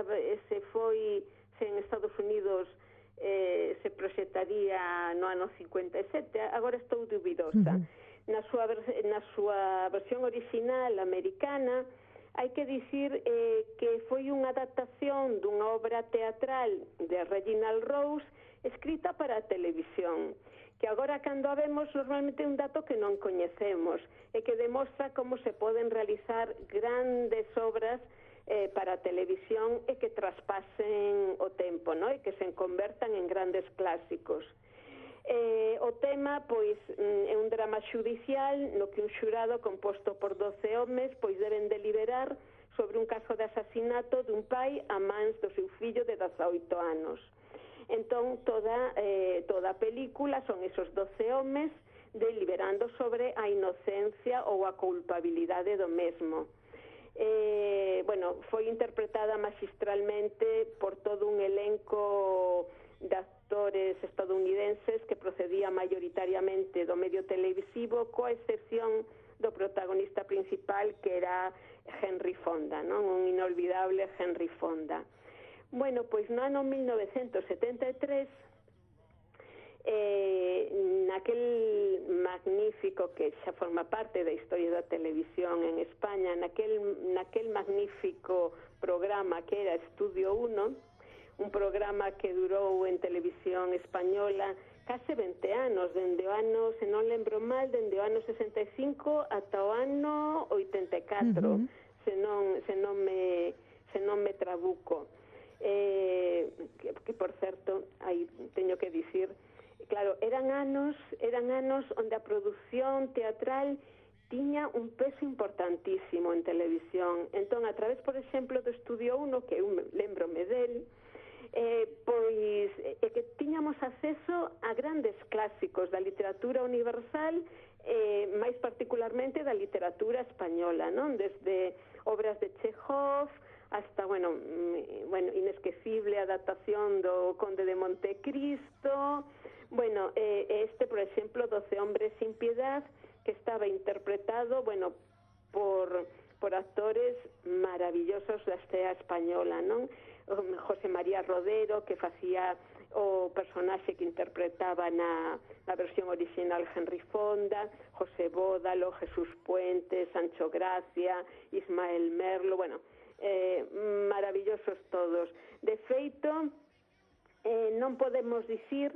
se foi se en Estados Unidos eh, se proxectaría no ano cincuenta e sete, agora estou dubidosa. Uh-huh. Na súa, na súa versión original americana, hai que dicir eh, que foi unha adaptación dunha obra teatral de Reginald Rose escrita para a televisión, que agora cando a vemos normalmente é un dato que non coñecemos e que demostra como se poden realizar grandes obras eh, para a televisión e que traspasen o tempo, ¿no? E que se convertan en grandes clásicos. Eh, o tema, pois, é un drama xudicial no que un xurado composto por doce homes pois deben deliberar sobre un caso de asasinato dun pai a mans do seu fillo de dezaoito anos. Entón, toda, eh, toda a película son esos doce homes deliberando sobre a inocencia ou a culpabilidade do mesmo. Eh, bueno, foi interpretada magistralmente por todo un elenco de actores estadounidenses que procedía mayoritariamente do medio televisivo, coa excepción do protagonista principal, que era Henry Fonda, non? Un inolvidable Henry Fonda. Bueno, pois no ano mil novecentos setenta e tres, eh, naquel magnífico, que xa forma parte da historia da televisión en España, naquel, naquel magnífico programa que era Estudio uno, un programa que durou en televisión española case vinte anos, dende o ano, se non lembro mal, dende o ano sesenta e cinco ata o ano oitenta e catro, uh-huh. se non se non me se non me trabuco. Eh, que, que por certo, aí teño que dicir, claro, eran anos, eran anos onde a produción teatral tiña un peso importantísimo en televisión. Entón, a través, por exemplo, do Estudio uno, que eu lembrome del, eh, pois é que tiñamos acceso a grandes clásicos da literatura universal, eh, máis particularmente da literatura española, non? Desde obras de Chekhov hasta, bueno, bueno, inesquecible adaptación do Conde de Montecristo. Bueno, eh, este, por exemplo, doce hombres sin piedad, que estaba interpretado, bueno, por, por actores maravillosos da escena española, non? José María Rodero, que facía o personaxe que interpretaba na, na versión original Henry Fonda, José Bódalo, Jesús Puente, Sancho Gracia, Ismael Merlo, bueno, eh, maravillosos todos. De feito, eh, non podemos dicir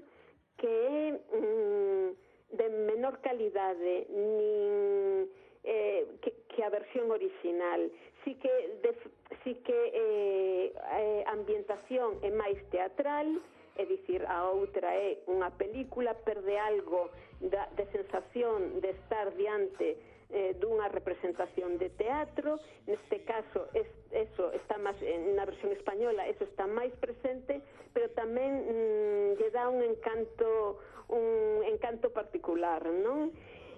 que é mm, de menor calidade nin eh, que, que a versión original. Sí que, de, sí que eh, a ambientación é máis teatral, é dicir, a outra é unha película, perde algo da, de sensación de estar diante eh, dunha representación de teatro. Neste caso, es, eso está máis, na versión española, eso está máis presente, pero tamén mm, lle dá un encanto, un encanto particular, non?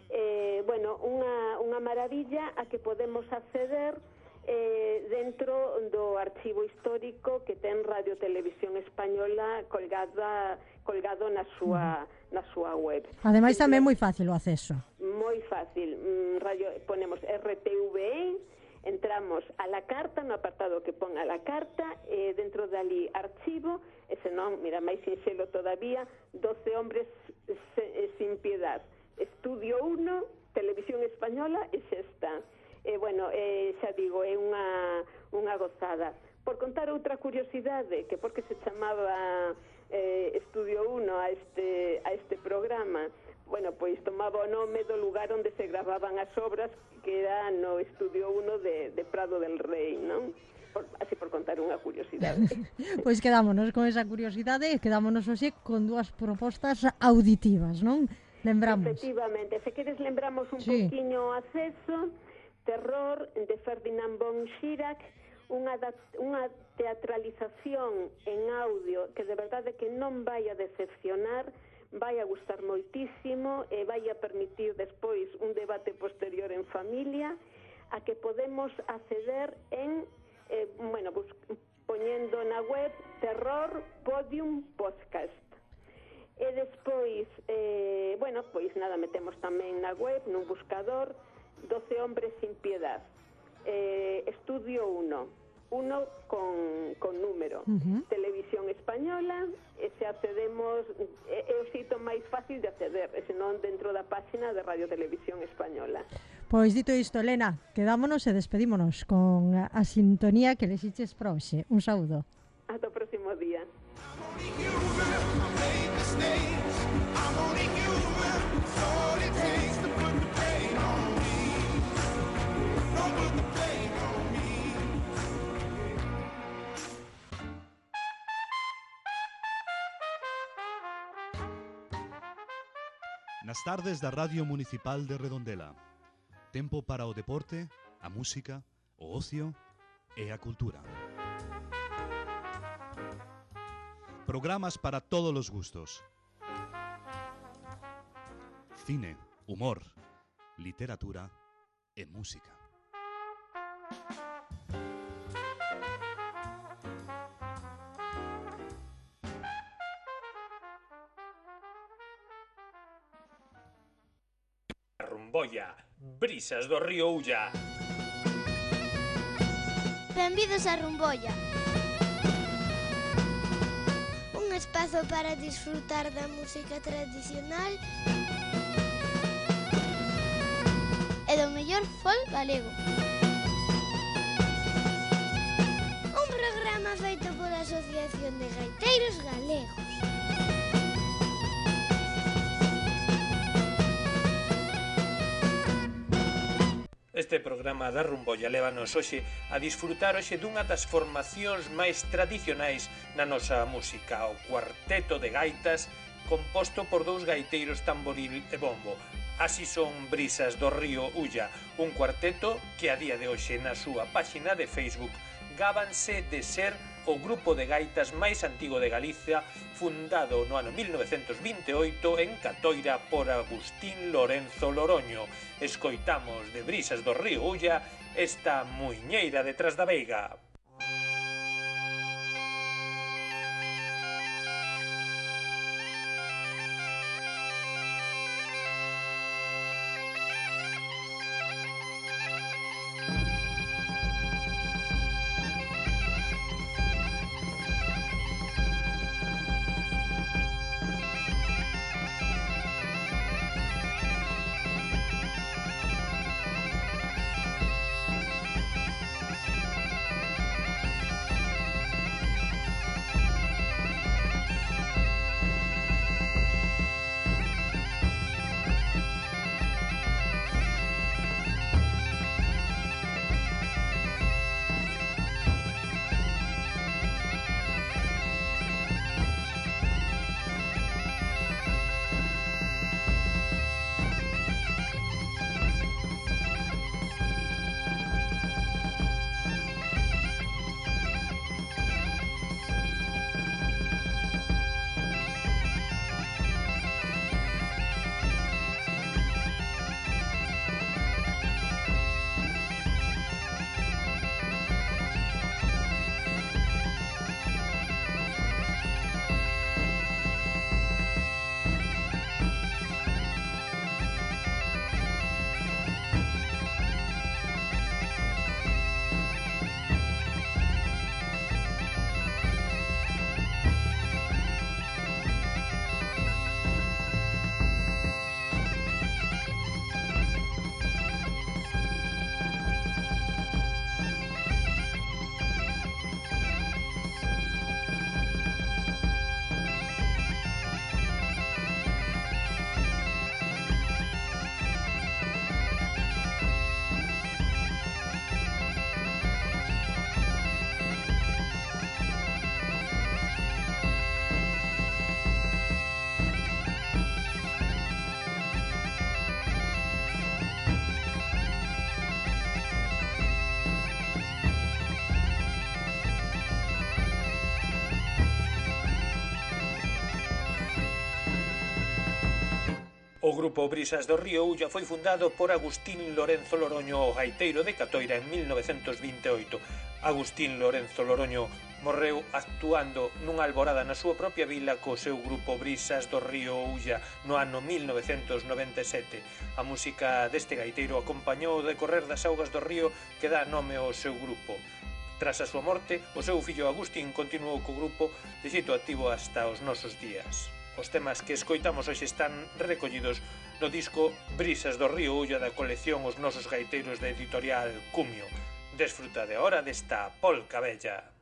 Eh, bueno, unha, unha maravilla a que podemos acceder eh, dentro do archivo histórico que ten Radio Televisión Española colgada, colgado na súa, na súa web. Ademais, tamén moi fácil o acceso. Moi fácil. Radio, ponemos R T V E, entramos a la carta, no apartado que pon a la carta, eh, dentro dali archivo, e senón, mira, máis sinxelo todavía, doce hombres se, eh, sin piedad. Estudio uno, Televisión Española, e xa está. Eh, bueno, eh, xa digo, é unha, unha gozada. Por contar outra curiosidade, que porque se chamaba eh, Estudio uno a este, a este programa, bueno, pois tomaba o nome do lugar onde se gravaban as obras, que era no Estudio uno de, de Prado del Rei, non? Por, así por contar unha curiosidade. Pois quedámonos con esa curiosidade e quedámonos hoxe con dúas propostas auditivas, non? Lembramos. Efectivamente, se queres lembramos un sí. poquinho Acceso, Terror, de Ferdinand von Schirach, unha, unha teatralización en audio que de verdade que non vai a decepcionar, vai a gustar moitísimo e vai a permitir despois un debate posterior en familia, a que podemos acceder en, eh, bueno, bus, poñendo na web Terror Podium Podcast. E despois, eh, bueno, pois nada, metemos tamén na web, nun buscador, doce hombres sin piedad, eh, Estudio uno, uno con, con número, uh-huh. Televisión Española, e se accedemos, é, é o xeito máis fácil de acceder, e senón dentro da páxina de Radio Televisión Española. Pois dito isto, Elena, quedámonos e despedímonos con a sintonía que les hiches para hoxe. Un saúdo. Ata o próximo día. Nas tardes da Radio Municipal de Redondela. Tempo para o deporte, a música, o ocio e a cultura. Programas para todos os gustos. Cine, humor, literatura e música. Rumbolla, brisas do río Ulla. Benvidos a Rumbolla. Un espazo para disfrutar da música tradicional e do mellor folk galego. Un programa feito pola Asociación de Gaiteiros Galegos. Este programa da Rumbolla lévanos hoxe a disfrutar hoxe dunha das formacións máis tradicionais na nosa música, o cuarteto de gaitas composto por dous gaiteiros tamboril e bombo. Así son Brisas do río Ulla, un cuarteto que a día de hoxe na súa páxina de Facebook gábanse de ser o grupo de gaitas máis antigo de Galicia, fundado no ano mil novecentos vinte e oito en Catoira por Agustín Lorenzo Loroño. Escoitamos de Brisas do río Ulla esta muiñeira detrás da veiga. O grupo Brisas do río Ulla foi fundado por Agustín Lorenzo Loroño, o gaiteiro de Catoira, en mil novecentos vinte e oito. Agustín Lorenzo Loroño morreu actuando nunha alborada na súa propia vila co seu grupo Brisas do río Ulla no ano mil novecentos noventa e sete. A música deste gaiteiro acompañou o decorrer das augas do río que dá nome ao seu grupo. Tras a súa morte, o seu fillo Agustín continuou co grupo de xeito activo hasta os nosos días. Os temas que escoitamos hoxe están recollidos no disco Brisas do río Ulla da colección Os nosos gaiteiros da editorial Cumio. Desfruta de hora desta polca bella.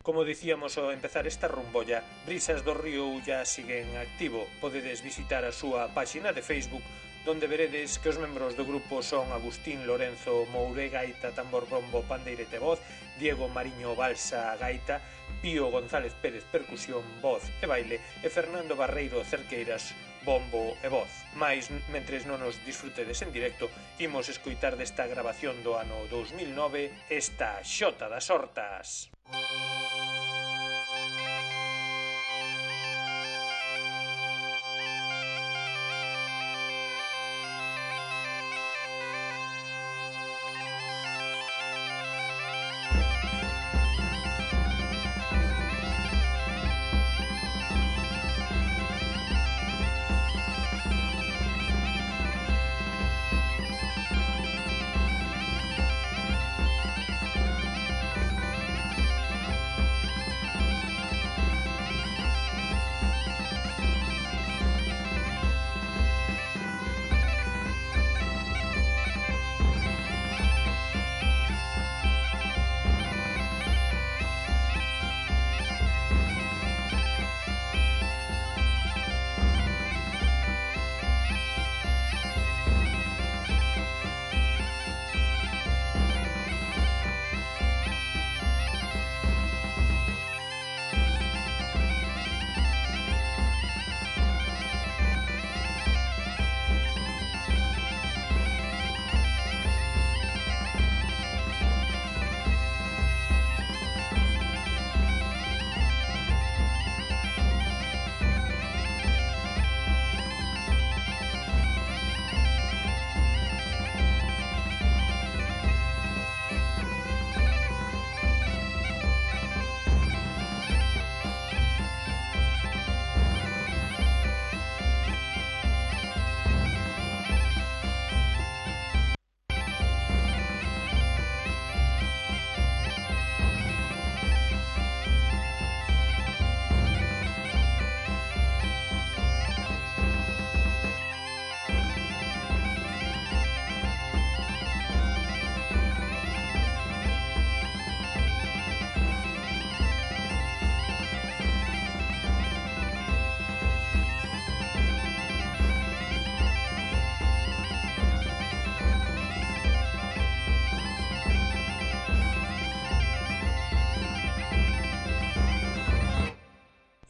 Como dicíamos ao empezar esta rumbolla, Brisas do Río Ulla siguen activo. Podedes visitar a súa páxina de Facebook, donde veredes que os membros do grupo son Agustín Lorenzo Moure, gaita, tambor, bombo, pandeirete, voz, Diego Mariño Balsa, gaita, Pío González Pérez, percusión, voz e baile, e Fernando Barreiro Cerqueiras, bombo e voz. Mais, mentres non nos disfrutedes en directo, imos escoitar desta grabación do ano dous mil nove esta Xota das Hortas.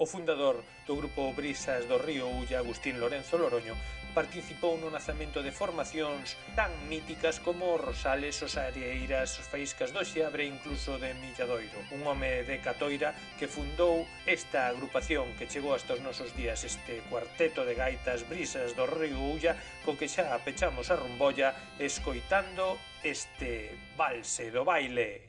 O fundador do grupo Brisas do Río Ulla, Agustín Lorenzo Loroño, participou no nacemento de formacións tan míticas como Rosales, os Areiras, os Faíscas do Xeabre e incluso de Milladoiro. Un home de Catoira que fundou esta agrupación que chegou hasta os nosos días, este cuarteto de gaitas Brisas do Río Ulla, co que xa pechamos a rumbolla escoitando este valse do baile.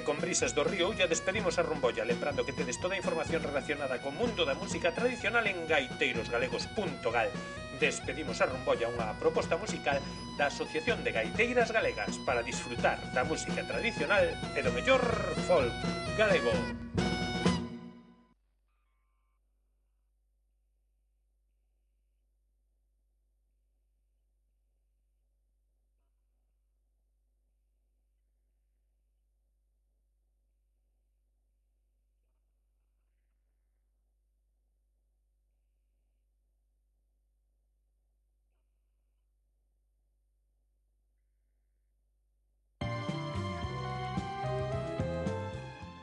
E con Brisas do Río ya despedimos a Rumbolla, lembrando que tedes toda a información relacionada co mundo da música tradicional en gaiteiros galegos punto gal. Despedimos a Rumbolla, unha proposta musical da Asociación de Gaiteiras Galegas para disfrutar da música tradicional e do mellor folk galego.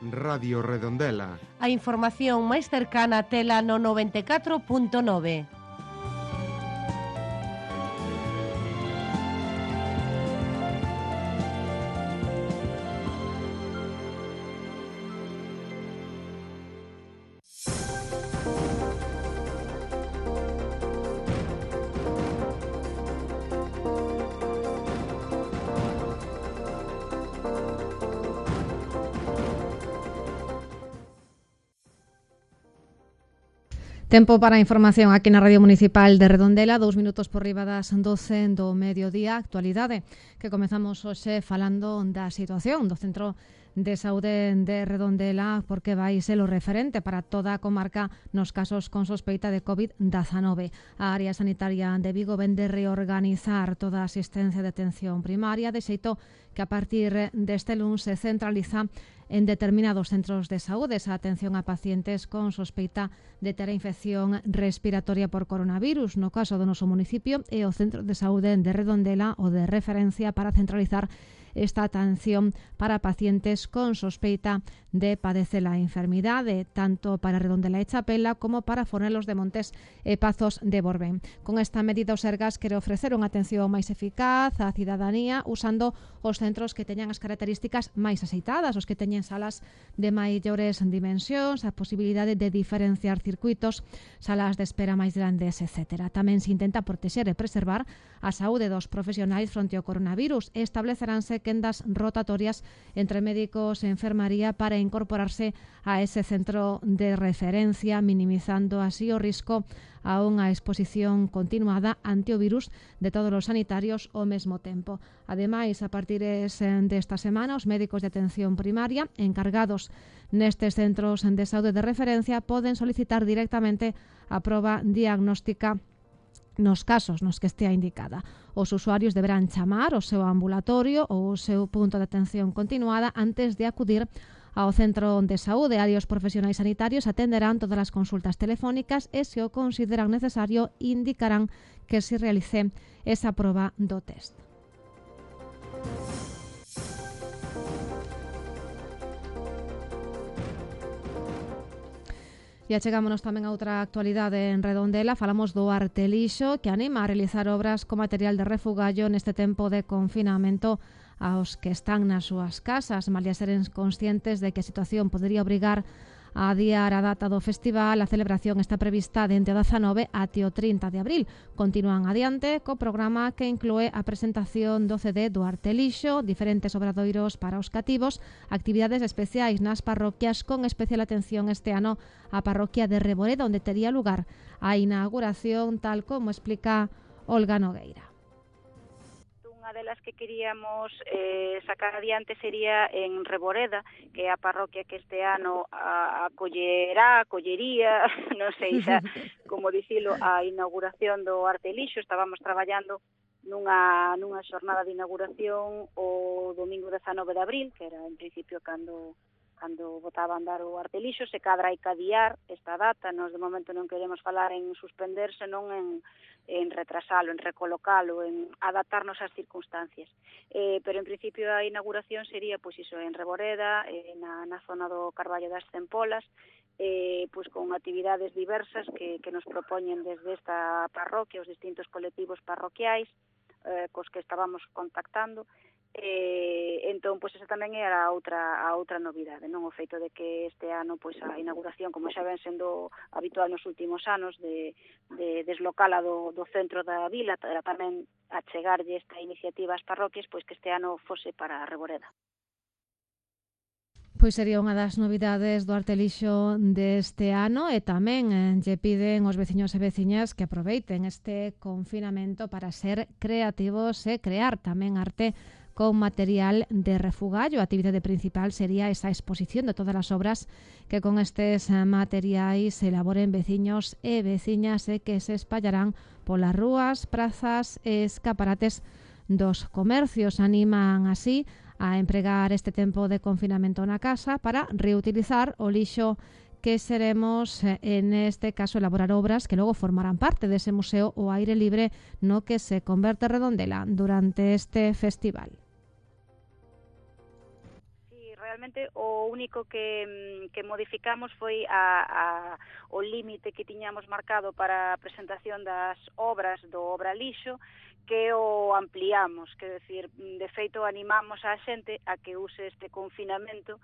Radio Redondela. A información máis cercana tela no noventa e catro punto nove. Tempo para a información aquí na Radio Municipal de Redondela, dous minutos por riba das doce do mediodía, actualidade, que comezamos hoxe falando da situación do Centro de Saúde de Redondela, porque vai ser o referente para toda a comarca nos casos con sospeita de covid diecinueve. A área sanitaria de Vigo vende reorganizar toda a asistencia de atención primaria, de xeito que a partir deste luns se centraliza en determinados centros de saúde esa atención a pacientes con sospeita de ter a infección respiratoria por coronavirus. No caso do noso municipio é o Centro de Saúde de Redondela o de referencia para centralizar esta atención para pacientes con sospeita de padecer a enfermidade, tanto para Redondela e Chapela como para Fornelos de Montes e Pazos de Borbén. Con esta medida o Sergas quere ofrecer unha atención máis eficaz á cidadanía usando os centros que teñan as características máis axeitadas, os que teñen salas de maiores dimensións, a posibilidade de diferenciar circuitos, salas de espera máis grandes, etcétera. Tamén se intenta protexer e preservar a saúde dos profesionais fronte ao coronavirus e estableceranse quendas rotatorias entre médicos e enfermaría para incorporarse a ese centro de referencia, minimizando así o risco a unha exposición continuada ante o virus de todos os sanitarios ao mesmo tempo. Ademais, a partir desta semana, os médicos de atención primaria encargados nestes centros de saúde de referencia poden solicitar directamente a proba diagnóstica nos casos nos que estea indicada. Os usuarios deberán chamar o seu ambulatorio ou o seu punto de atención continuada antes de acudir ao centro de saúde. Aí os profesionais sanitarios atenderán todas as consultas telefónicas e, se o consideran necesario, indicarán que se realice esa proba do test. E achegámonos tamén a outra actualidade en Redondela. Falamos do Artelixo, que anima a realizar obras con material de refugallo neste tempo de confinamento aos que están nas súas casas. Malia seren conscientes de que a situación podería obrigar a adiar a data do festival, a celebración está prevista dende o dezanove até o trinta de abril. Continúan adiante co programa que inclúe a presentación do C D do Artelixo, diferentes obradoiros para os cativos, actividades especiais nas parroquias, con especial atención este ano a parroquia de Reboreda, onde tería lugar a inauguración, tal como explica Olga Nogueira. Unha delas que queríamos eh, sacar adiante sería en Reboreda, que é a parroquia que este ano a, acollerá, acollería, non sei xa como dicilo, a inauguración do Artelixo. Estábamos traballando nunha, nunha xornada de inauguración o domingo dezanove de abril, que era en principio cando cando botaba a andar o Artelixo. Se cadra hai que adiar esta data. Nos de momento non queremos falar en suspender, senón en, en retrasalo, en recolocalo, en adaptarnos ás circunstancias. Eh, pero en principio a inauguración sería pois iso, en Reboreda, eh, na, na zona do Carballo das Tempolas, eh, pois con actividades diversas que, que nos propoñen desde esta parroquia, os distintos colectivos parroquiais, eh, cos que estábamos contactando. Eh, entón, pois esa tamén era a outra a outra novidade, non o feito de que este ano pois a inauguración, como xa ven sendo habitual nos últimos anos, de, de deslocala do, do centro da vila, era tamén achegarlle esta iniciativa ás parroquias, pois que este ano fose para Reboreda. Pois sería unha das novidades do Arte Lixo deste ano e tamén eh, lle piden os veciños e veciñas que aproveiten este confinamento para ser creativos e crear tamén arte con material de refugallo. A actividade principal sería esa exposición de todas as obras que con estes materiais se elaboren veciños e veciñas e que se espallarán polas rúas, prazas e escaparates dos comercios. Animan así a empregar este tempo de confinamento na casa para reutilizar o lixo que seremos, en este caso, elaborar obras que logo formarán parte dese museo ao aire libre no que se converte Redondela durante este festival. Realmente o único que, que modificamos foi a, a, o límite que tiñamos marcado para a presentación das obras do Obra Lixo, que o ampliamos, que decir, de feito animamos a xente a que use este confinamento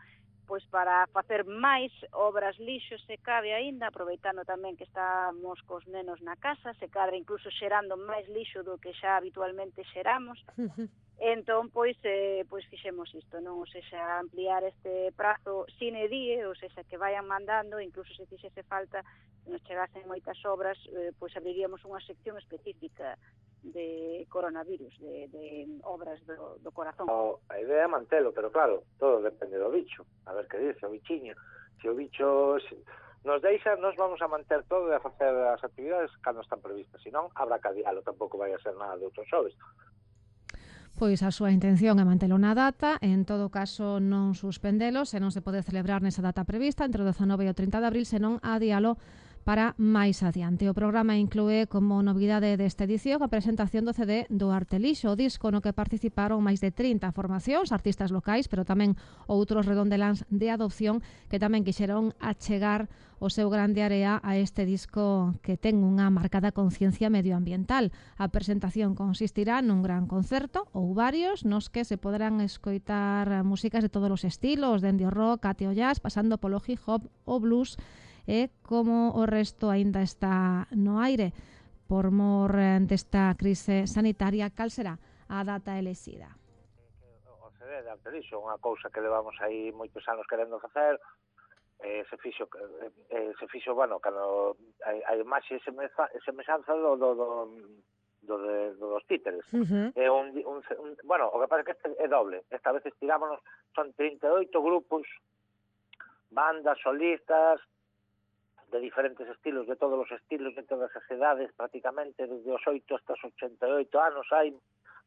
pois para facer máis obras lixo se cabe aínda, aproveitando tamén que estamos cos nenos na casa, se cadra incluso xerando máis lixo do que xa habitualmente xeramos. Entón, pois, eh, pois fixemos isto, non? Ou seja, ampliar este prazo sine die, ou seja, que vayan mandando, incluso se fixese falta, se nos chegasen moitas obras, eh, pois abriríamos unha sección específica de coronavirus, de, de obras do, do corazón. O, a idea é mantelo, pero claro, todo depende do bicho. A ver que dice o bichiño. Se o bicho se nos deixa, nos vamos a manter todo e a facer as actividades cando están previstas. Se non, habrá que adialo, tampouco vai a ser nada de outros xoves. Pois a súa intención é mantelo na data, en todo caso non suspendelo, se non se pode celebrar nesa data prevista entre o dezanove e o trinta de abril, senón adialo para máis adiante. O programa inclúe como novidade desta edición a presentación do C D do Arte Lixo, o disco no que participaron máis de trinta formacións, artistas locais, pero tamén outros redondeláns de adopción que tamén quixeron achegar o seu grande area a este disco que ten unha marcada conciencia medioambiental. A presentación consistirá nun gran concerto ou varios nos que se poderán escoitar músicas de todos os estilos, dende o rock até o jazz, pasando polo hip hop, o blues, e como o resto aínda está no aire por mor desta crise sanitaria, cal será a data elexida? O C D de Arte Lixo, unha cousa que levamos aí moitos anos querendo facer, eh, se fixo, eh, se fixo, bueno, cando a imaxe e semellanza do, do, do, do, de, do dos títeres. Uh-huh. É un, un, un, bueno, o que pasa é que este é doble. Esta vez estirámonos, son trinta e oito grupos, bandas, solistas, de diferentes estilos, de todos os estilos, de todas as edades, prácticamente, desde os oito hasta os ochenta e oito anos, hai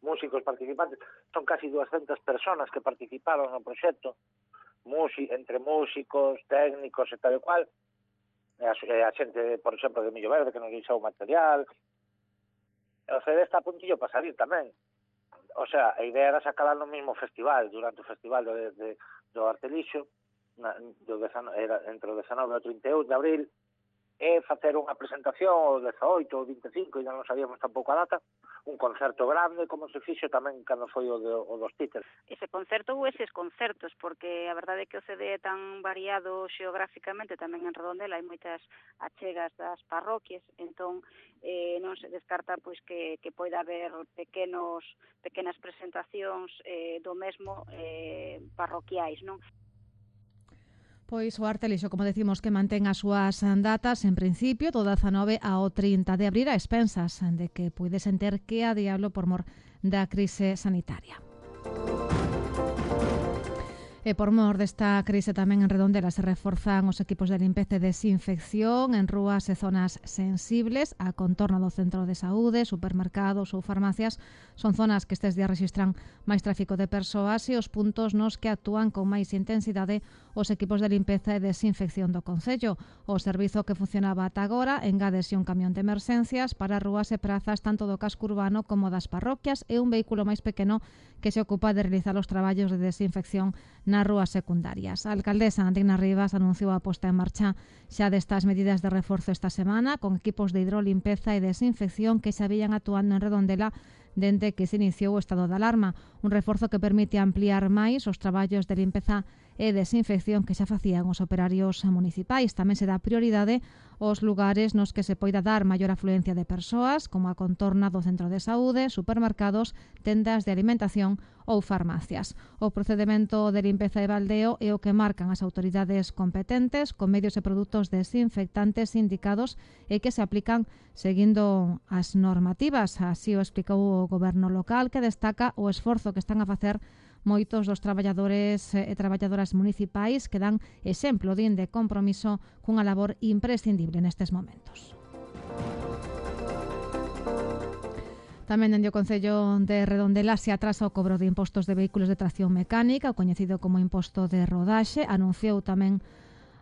músicos participantes, son casi doscientas personas que participaron no proxecto, Musi, entre músicos, técnicos e tal e cual, e a, e a xente, por exemplo, de Millo Verde, que nos deixou material, o C D está a puntillo para salir tamén. O sea, a idea era sacarla no mesmo festival, durante o festival do, de, do Arte Lixo, na, do dezanove, era entre o dezanove e o trinta e un de abril, e facer unha presentación o dezaoito ou vinte e cinco, e non sabíamos tampouco a data, un concerto grande, como se fixo tamén cando foi o, de, o dos títeres. Ese concerto ou eses concertos, porque a verdade é que o C D é tan variado xeográficamente, tamén en Redondela hai moitas achegas das parroquias, entón eh, non se descarta pois que, que poida haber pequenos pequenas presentacións eh, do mesmo eh, parroquiais, non? Pois o Arte Lixo, como decimos, que mantén as súas datas en principio do dezanove ao trinta de abril a expensas de que puidesen ter que adialo por mor da crise sanitaria. E por mor desta crise tamén en Redondela se reforzan os equipos de limpeza e desinfección en rúas e zonas sensibles. A contorna do centro de saúde, supermercados ou farmacias son zonas que estes días registran máis tráfico de persoas e os puntos nos que actúan con máis intensidade os equipos de limpeza e desinfección do Concello. O servizo que funcionaba ata agora engádese un camión de emerxencias para rúas e prazas tanto do casco urbano como das parroquias e un vehículo máis pequeno que se ocupa de realizar os traballos de desinfección nas rúas secundarias. A alcaldesa Dina Rivas anunciou a posta en marcha xa destas medidas de reforzo esta semana con equipos de hidrolimpeza e desinfección que xa vían actuando en Redondela dende que se iniciou o estado de alarma, un reforzo que permite ampliar máis os traballos de limpeza e desinfección que xa facían os operarios municipais. Tamén se dá prioridade aos lugares nos que se poida dar maior afluencia de persoas, como a contorna do centro de saúde, supermercados, tendas de alimentación ou farmacias. O procedimento de limpeza e baldeo é o que marcan as autoridades competentes con medios e produtos desinfectantes indicados e que se aplican seguindo as normativas. Así o explicou o goberno local, que destaca o esforzo que están a facer moitos dos traballadores e traballadoras municipais que dan exemplo din de compromiso cunha labor imprescindible nestes momentos. Tamén dende o Concello de Redondela se atrasa o cobro de impostos de vehículos de tracción mecánica, o coñecido como imposto de rodaxe. Anunciou tamén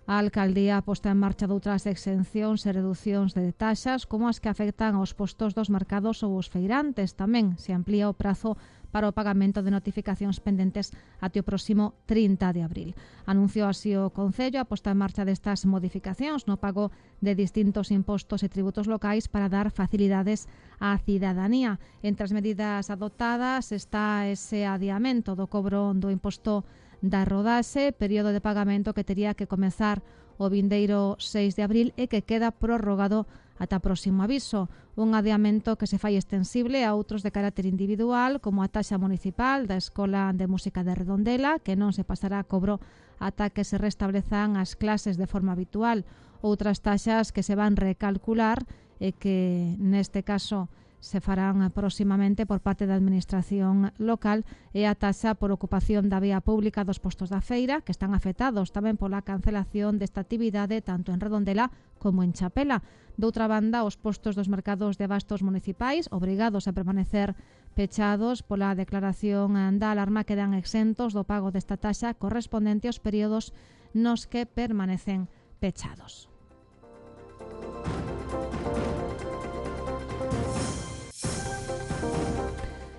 a Alcaldía a posta en marcha doutras exencións e reducións de taxas, como as que afectan aos postos dos mercados ou os feirantes. Tamén se amplía o prazo para o pagamento de notificacións pendentes até o próximo trinta de abril. Anunciou así o Concello a posta en marcha destas modificacións no pago de distintos impostos e tributos locais para dar facilidades á cidadanía. Entre as medidas adoptadas está ese adiamento do cobro do imposto da rodaxe, período de pagamento que tería que comezar o vindeiro seis de abril e que queda prorrogado ata próximo aviso. Un adiamento que se fai extensible a outros de carácter individual, como a taxa municipal da Escola de Música de Redondela, que non se pasará a cobro ata que se restablezan as clases de forma habitual. Outras taxas que se van recalcular e que neste caso se farán próximamente por parte da Administración local e a taxa por ocupación da vía pública dos postos da feira, que están afectados tamén pola cancelación desta actividade tanto en Redondela como en Chapela. Doutra banda, os postos dos mercados de abastos municipais, obrigados a permanecer pechados pola declaración da alarma, quedan exentos do pago desta taxa correspondente aos períodos nos que permanecen pechados.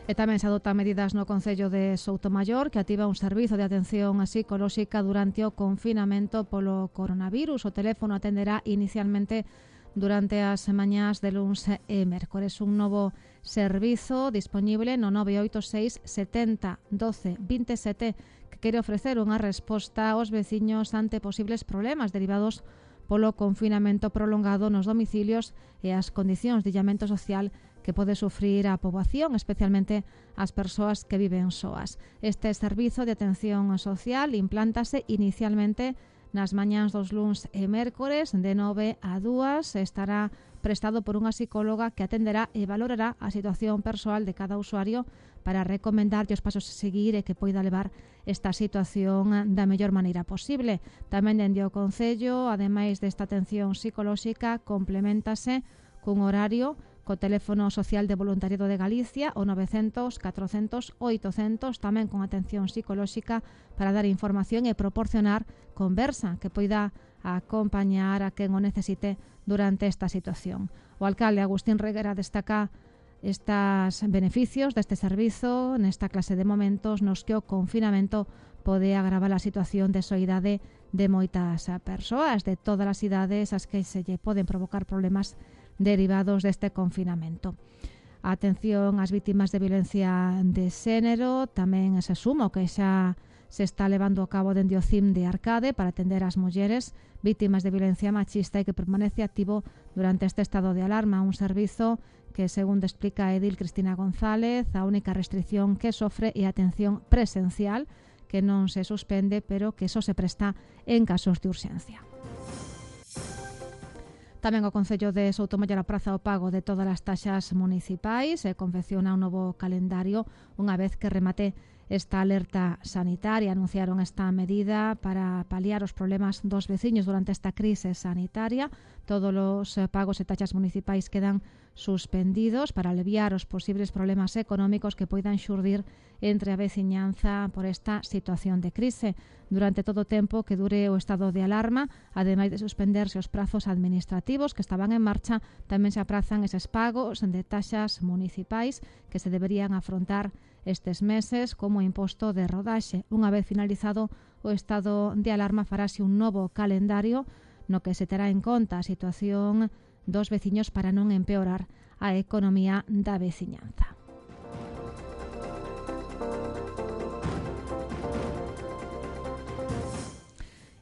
E tamén se adoptan medidas no Concello de Soutomaior, que activa un servizo de atención psicolóxica durante o confinamento polo coronavirus. O teléfono atenderá inicialmente durante as mañás de luns e mércores. Un novo servizo disponible no nove oito seis setenta doce veintisiete que quere ofrecer unha resposta aos veciños ante posibles problemas derivados polo confinamento prolongado nos domicilios e as condicións de illamento social que pode sufrir a poboación, especialmente as persoas que viven soas. Este servizo de atención social implántase inicialmente nas mañáns dos luns e mércores de nove a dúas. Estará prestado por unha psicóloga que atenderá e valorará a situación persoal de cada usuario para recomendarlle os pasos a seguir e que poida levar esta situación da mellor maneira posible. Tamén dende o Concello, ademais desta atención psicolóxica, complementase cun horario co teléfono social de voluntariado de Galicia, o novecentos, catrocentos, oitocentos, tamén con atención psicolóxica para dar información e proporcionar conversa que poida acompañar a quen o necesite durante esta situación. O alcalde Agustín Reguera destaca estes beneficios deste servizo nesta clase de momentos nos que o confinamento pode agravar a situación de soidade de moitas persoas de todas as idades as que se lle poden provocar problemas derivados deste confinamento. A atención ás vítimas de violencia de xénero tamén se suma o que xa se está levando a cabo dende o C I M de Arcade para atender as mulleres vítimas de violencia machista e que permanece activo durante este estado de alarma, un servizo que, segundo explica Edil Cristina González, a única restricción que sofre é a atención presencial, que non se suspende, pero que só se presta en casos de urxencia. Tamén o Concello de Soutomaior apraza o pago de todas as taxas municipais e confecciona un novo calendario unha vez que remate esta alerta sanitaria. Anunciaron esta medida para paliar os problemas dos veciños durante esta crise sanitaria. Todos os pagos e taxas municipais quedan suspendidos para aliviar os posibles problemas económicos que poidan xurdir entre a veciñanza por esta situación de crise. Durante todo o tempo que dure o estado de alarma, ademais de suspenderse os prazos administrativos que estaban en marcha, tamén se aprazan eses pagos de taxas municipais que se deberían afrontar estes meses como imposto de rodaxe. Unha vez finalizado o estado de alarma, farase un novo calendario no que se terá en conta a situación dos veciños para non empeorar a economía da veciñanza.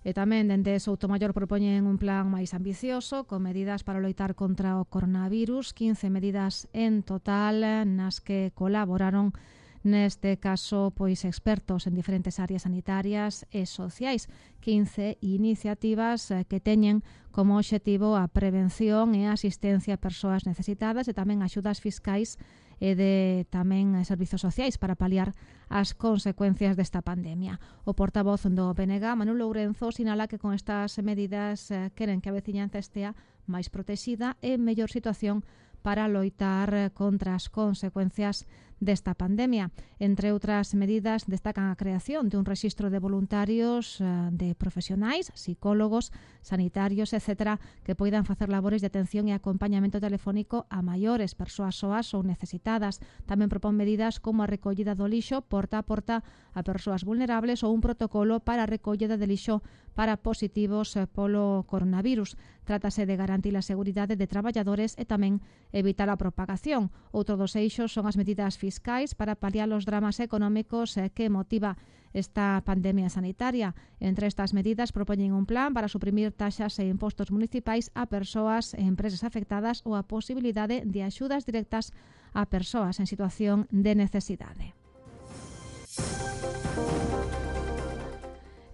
E tamén dende Soutomaior propoñen un plan máis ambicioso con medidas para loitar contra o coronavirus, quince medidas en total nas que colaboraron neste caso pois expertos en diferentes áreas sanitarias e sociais, quince iniciativas que teñen como obxectivo a prevención e a asistencia a persoas necesitadas e tamén axudas fiscais e de tamén servizos sociais para paliar as consecuencias desta pandemia. O portavoz do B N G, Manu Lourenzo, sinala que con estas medidas queren que a veciñanza estea máis protexida e en mellor situación para loitar contra as consecuencias desta pandemia. Entre outras medidas, destacan a creación de un rexistro de voluntarios de profesionais, psicólogos, sanitarios, etcétera, que poidan facer labores de atención e acompañamento telefónico a maiores, persoas soas ou necesitadas. Tamén propón medidas como a recollida do lixo porta a porta a persoas vulnerables ou un protocolo para a recollida de lixo para positivos polo coronavirus. Trátase de garantir a seguridade de traballadores e tamén evitar a propagación. Outro dos eixos son as medidas fiscais para paliar os dramas económicos que motiva esta pandemia sanitaria. Entre estas medidas propoñen un plan para suprimir taxas e impostos municipais a persoas e empresas afectadas ou a posibilidade de axudas directas a persoas en situación de necesidade.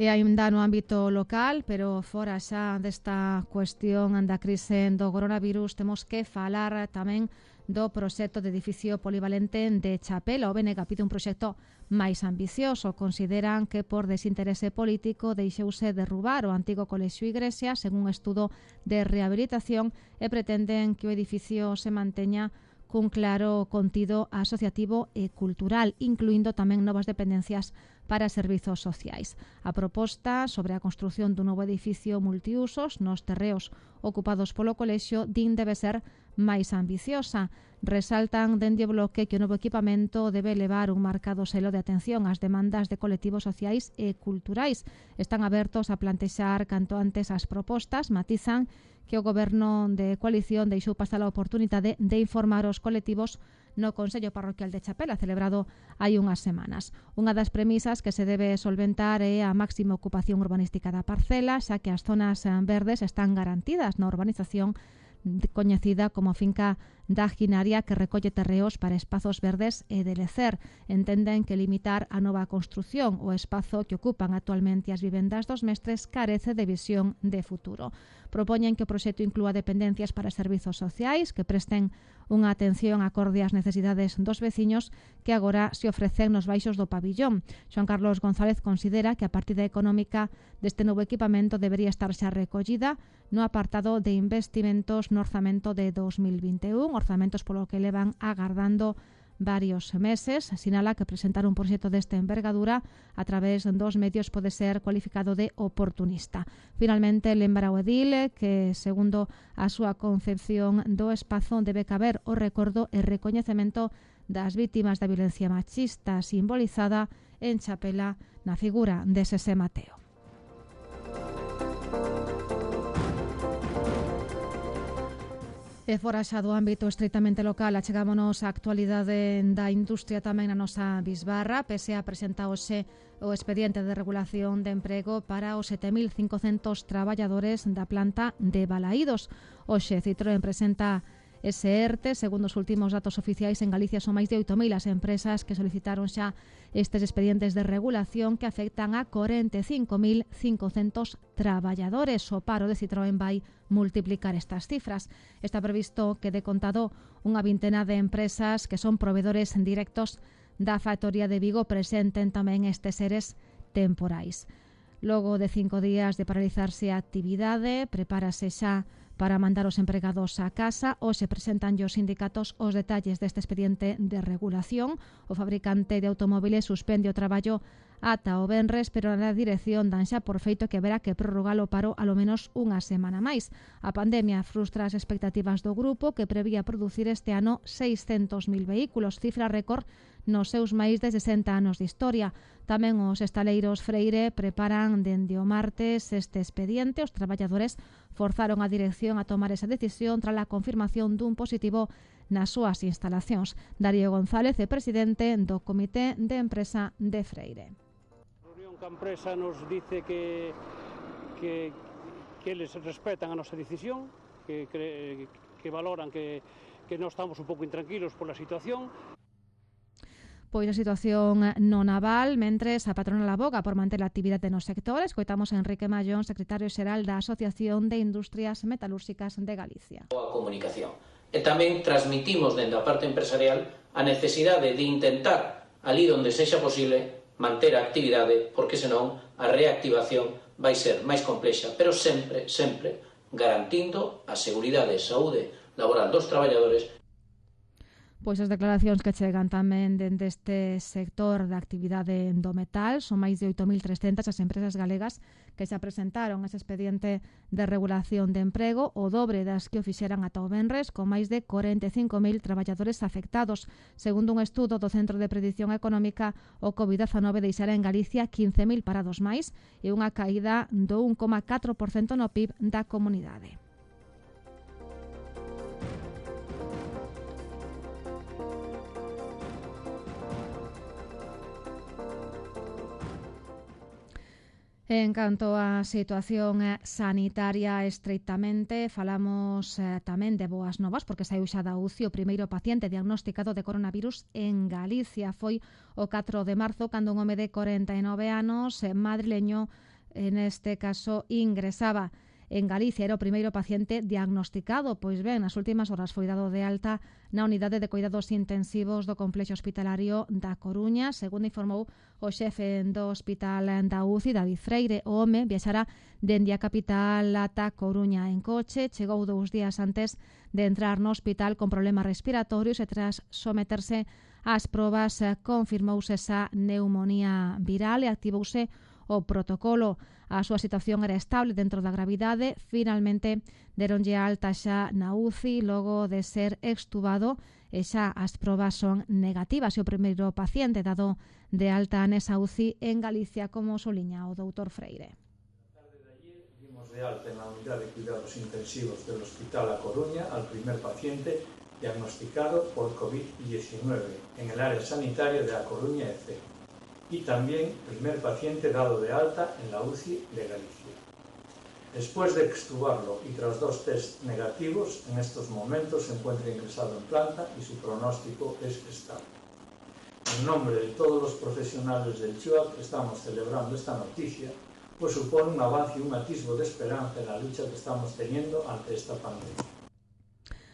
E aínda no ámbito local, pero fora xa desta cuestión da crise do coronavirus, temos que falar tamén do proxecto de edificio polivalente de Chapela. O B N G pide un proxecto máis ambicioso. Consideran que por desinterese político deixouse derrubar o antigo colexio Igrexa sen un estudo de rehabilitación e pretenden que o edificio se manteña cun claro contido asociativo e cultural, incluindo tamén novas dependencias para servizos sociais. A proposta sobre a construción dun novo edificio multiusos nos terreos ocupados polo colexio din debe ser máis ambiciosa. Resaltan dende o bloque que o novo equipamento debe levar un marcado selo de atención ás demandas de colectivos sociais e culturais. Están abertos a plantexar canto antes as propostas, matizan que o goberno de coalición deixou pasar a oportunidade de informar os colectivos no Consello Parroquial de Chapela, celebrado hai unhas semanas. Unha das premisas que se debe solventar é a máxima ocupación urbanística da parcela, xa que as zonas verdes están garantidas na urbanización coñecida como finca da Ginaria, que recolle terreos para espazos verdes e de lecer. Entenden que limitar a nova construción o espazo que ocupan actualmente as vivendas dos mestres carece de visión de futuro. Propoñen que o proxecto inclúa dependencias para servizos sociais que presten unha atención acorde ás necesidades dos veciños que agora se ofrecen nos baixos do pabillón. Xoan Carlos González considera que a partida económica deste novo equipamento debería estar xa recollida no apartado de investimentos no orzamento de dos mil vinte e un, orzamentos polo que levan agardando varios meses. Sinala que presentar un proxecto desta envergadura a través dos medios pode ser cualificado de oportunista. Finalmente, lembra o edil que, segundo a súa concepción do espazo, debe caber o recordo e recoñecemento das vítimas da violencia machista simbolizada en Chapela na figura de Sese Mateo. E fora xa do ámbito estritamente local, achegámonos á actualidade da industria tamén na nosa bisbarra. P S A presenta hoxe o expediente de regulación de emprego para os sete mil cincocentos traballadores da planta de Balaídos. Hoxe Citroën presenta ese ERTE. Segundo os últimos datos oficiais, en Galicia son máis de oito mil as empresas que solicitaron xa estes expedientes de regulación que afectan a corenta e cinco mil cincocentos traballadores. O paro de Citroën vai multiplicar estas cifras. Está previsto que de contado unha vintena de empresas que son provedores directos da factoría de Vigo presenten tamén estes seres temporais. Logo de cinco días de paralizarse a actividade, prepárase xa para mandar os empregados a casa. Hoxe presentan os sindicatos os detalles deste expediente de regulación. O fabricante de automóviles suspende o traballo ata o venres, pero na dirección dan xa por feito que haberá que prorrogar o paro alo menos unha semana máis. A pandemia frustra as expectativas do grupo, que prevía producir este ano seiscentos mil vehículos, cifra récord nos seus máis de sesenta anos de historia. Tamén os estaleiros Freire preparan dende o martes este expediente. Os traballadores forzaron a dirección a tomar esa decisión tras a confirmación dun positivo nas súas instalacións. Darío González é presidente do Comité de Empresa de Freire. A reunión ca empresa nos dice que que, que eles respetan a nosa decisión, que, que, que valoran que, que non estamos un pouco intranquilos pola situación. Pois a situación no naval, mentres a patronal aboga por manter a actividade nos sectores. Coitamos a Enrique Mallón, secretario xeral da Asociación de Industrias Metalúrxicas de Galicia. A comunicación. E tamén transmitimos dende a parte empresarial a necesidade de intentar, ali onde sexa posible, manter a actividade, porque senón a reactivación vai ser máis complexa, pero sempre, sempre garantindo a seguridade e saúde laboral dos traballadores. Pois as declaracións que chegan tamén dende este sector da actividade do metal, son máis de oito mil trescentas as empresas galegas que xa presentaron ese expediente de regulación de emprego, o dobre das que o fixeran ata o venres, con máis de corenta e cinco mil traballadores afectados. Segundo un estudo do Centro de Predición Económica, o covid dezanove deixara en Galicia quince mil parados máis e unha caída do un coma catro por cento no P I B da comunidade. En canto á situación sanitaria estreitamente, falamos eh, tamén de boas novas, porque saiu xa da U C I o primeiro paciente diagnosticado de coronavirus en Galicia. Foi o catro de marzo, cando un home de corenta e nove anos, eh, madrileño, en este caso, ingresaba en Galicia. Era o primeiro paciente diagnosticado. Pois ben, nas últimas horas foi dado de alta na unidade de cuidados intensivos do complexo hospitalario da Coruña, segundo informou o xefe do hospital da U C I, David Freire. O home viaxara dende a capital ata Coruña en coche, chegou dous días antes de entrar no hospital con problemas respiratorios e tras someterse ás probas confirmouse esa neumonía viral e activouse o protocolo. A súa situación era estable dentro da gravidade. Finalmente deronlle alta xa na U C I logo de ser extubado e xa as probas son negativas. E o primeiro paciente dado de alta nesa U C I en Galicia, como soliña o doutor Freire. Dimos de alta en la unidad de cuidados intensivos del Hospital A Coruña al primer paciente diagnosticado por covid diecinueve en el área sanitaria de A Coruña E C. Y también primer paciente dado de alta en la U C I de Galicia. Después de extubarlo y tras dos test negativos, en estos momentos se encuentra ingresado en planta y su pronóstico es estable. En nombre de todos los profesionales del C U A C estamos celebrando esta noticia, pues supone un avance y un atisbo de esperanza en la lucha que estamos teniendo ante esta pandemia.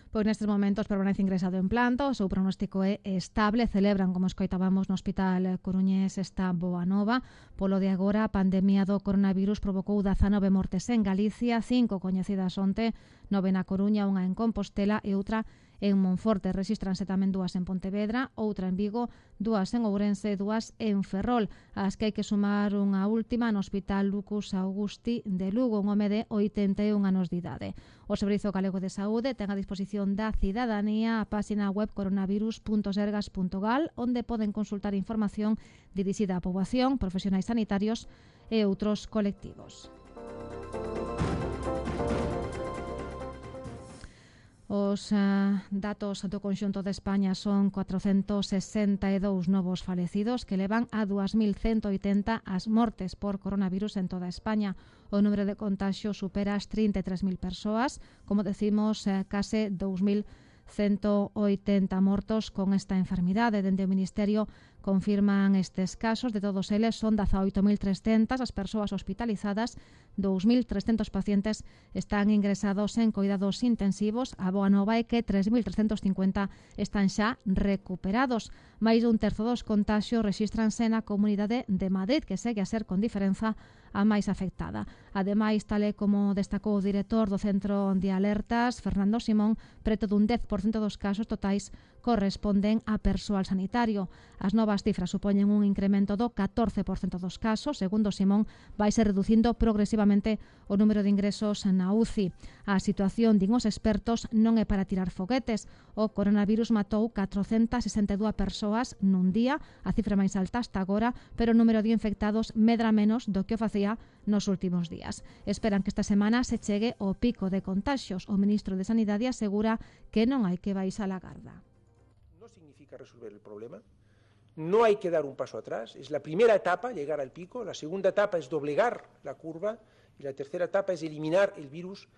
Pois nestes momentos permanece ingresado en planta, o seu pronóstico é estable. Celebran, como escoitábamos no Hospital Coruñés, esta boa nova. Polo de agora, a pandemia do coronavirus provocou dezanove mortes en Galicia, cinco coñecidas onte, nove na Coruña, unha en Compostela e outra en Monforte. Rexístranse tamén dúas en Pontevedra, outra en Vigo, dúas en Ourense e dúas en Ferrol. As que hai que sumar unha última no Hospital Lucus Augusti de Lugo, un home de oitenta e un anos de idade. O Servizo Galego de Saúde ten a disposición da cidadanía a páxina web coronavirus punto sergas punto gal, onde poden consultar información dirixida á poboación, profesionais sanitarios e outros colectivos. Os uh, datos do conxunto de España son cuatrocentos sesenta e dous novos falecidos, que levan a dúas mil ciento oitenta as mortes por coronavirus en toda España. O número de contaxios supera as trinta e tres mil persoas, como decimos, uh, case dous mil ciento oitenta mortos con esta enfermidade. Dende o Ministerio confirman estes casos. De todos eles son dezaoito mil trescentas as persoas hospitalizadas, dous mil trescentos pacientes están ingresados en cuidados intensivos. A boa nova é que tres mil trescentos cincuenta están xa recuperados. Mais dun terzo dos contaxios rexístranse na Comunidade de Madrid, que segue a ser con diferenza a máis afectada. Ademais, tal e como destacou o director do Centro de Alertas, Fernando Simón, preto dun dez por cento dos casos totais corresponden a persoal sanitario. As novas cifras supoñen un incremento do catorce por cento dos casos. Segundo Simón, vai ser reducindo progresivamente o número de ingresos na U C I. A situación, din os expertos, non é para tirar foguetes. O coronavirus matou catrocentas sesenta e dúas persoas nun día, a cifra máis alta hasta agora, pero o número de infectados medra menos do que o facía nos últimos días. Esperan que esta semana se chegue ao pico de contaxios. O ministro de Sanidade asegura que non hai que baixar a garda. No significa resolver el problema. No hay que dar un paso atrás. Es la primera etapa, llegar al pico. La segunda etapa es doblegar la curva Y la tercera etapa es eliminar el virus.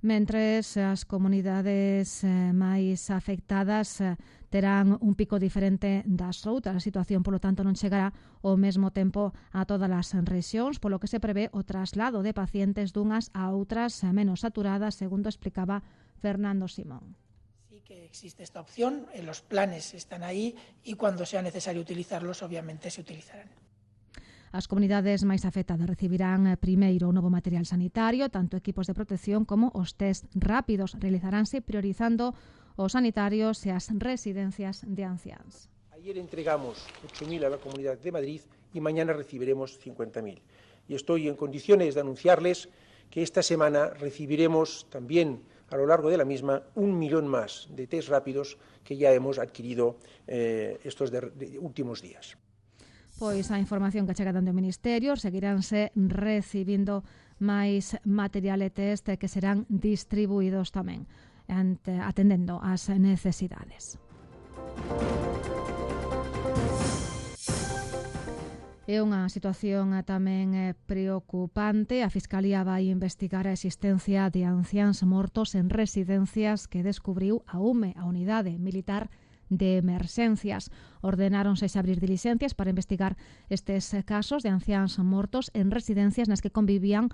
Mentres as comunidades eh, máis afectadas eh, terán un pico diferente das outras. A situación, polo tanto, non chegará ao mesmo tempo a todas as rexións, polo que se prevé o traslado de pacientes dunhas a outras eh, menos saturadas, segundo explicaba Fernando Simón. Sí que existe esta opción, en los planes están ahí y cuando sea necesario utilizarlos, obviamente se utilizarán. As comunidades máis afectadas recibirán primeiro o novo material sanitario, tanto equipos de protección como os test rápidos. Realizaránse priorizando os sanitarios e as residencias de anciáns. Ayer entregamos ocho mil a la Comunidad de Madrid y mañana recibiremos cincuenta mil. Y estoy en condiciones de anunciarles que esta semana recibiremos también a lo largo de la misma un millón más de test rápidos que ya hemos adquirido eh, estos de, de últimos días. Pois a información que chega dando o Ministerio, seguiránse recibindo máis material e test que serán distribuídos tamén, ante, atendendo ás necesidades. É unha situación tamén preocupante. A Fiscalía vai investigar a existencia de anciáns mortos en residencias que descubriu a U M E, a Unidade Militar de Emerxencias. Ordenáronse abrir diligencias para investigar estes casos de anciáns mortos en residencias nas que convivían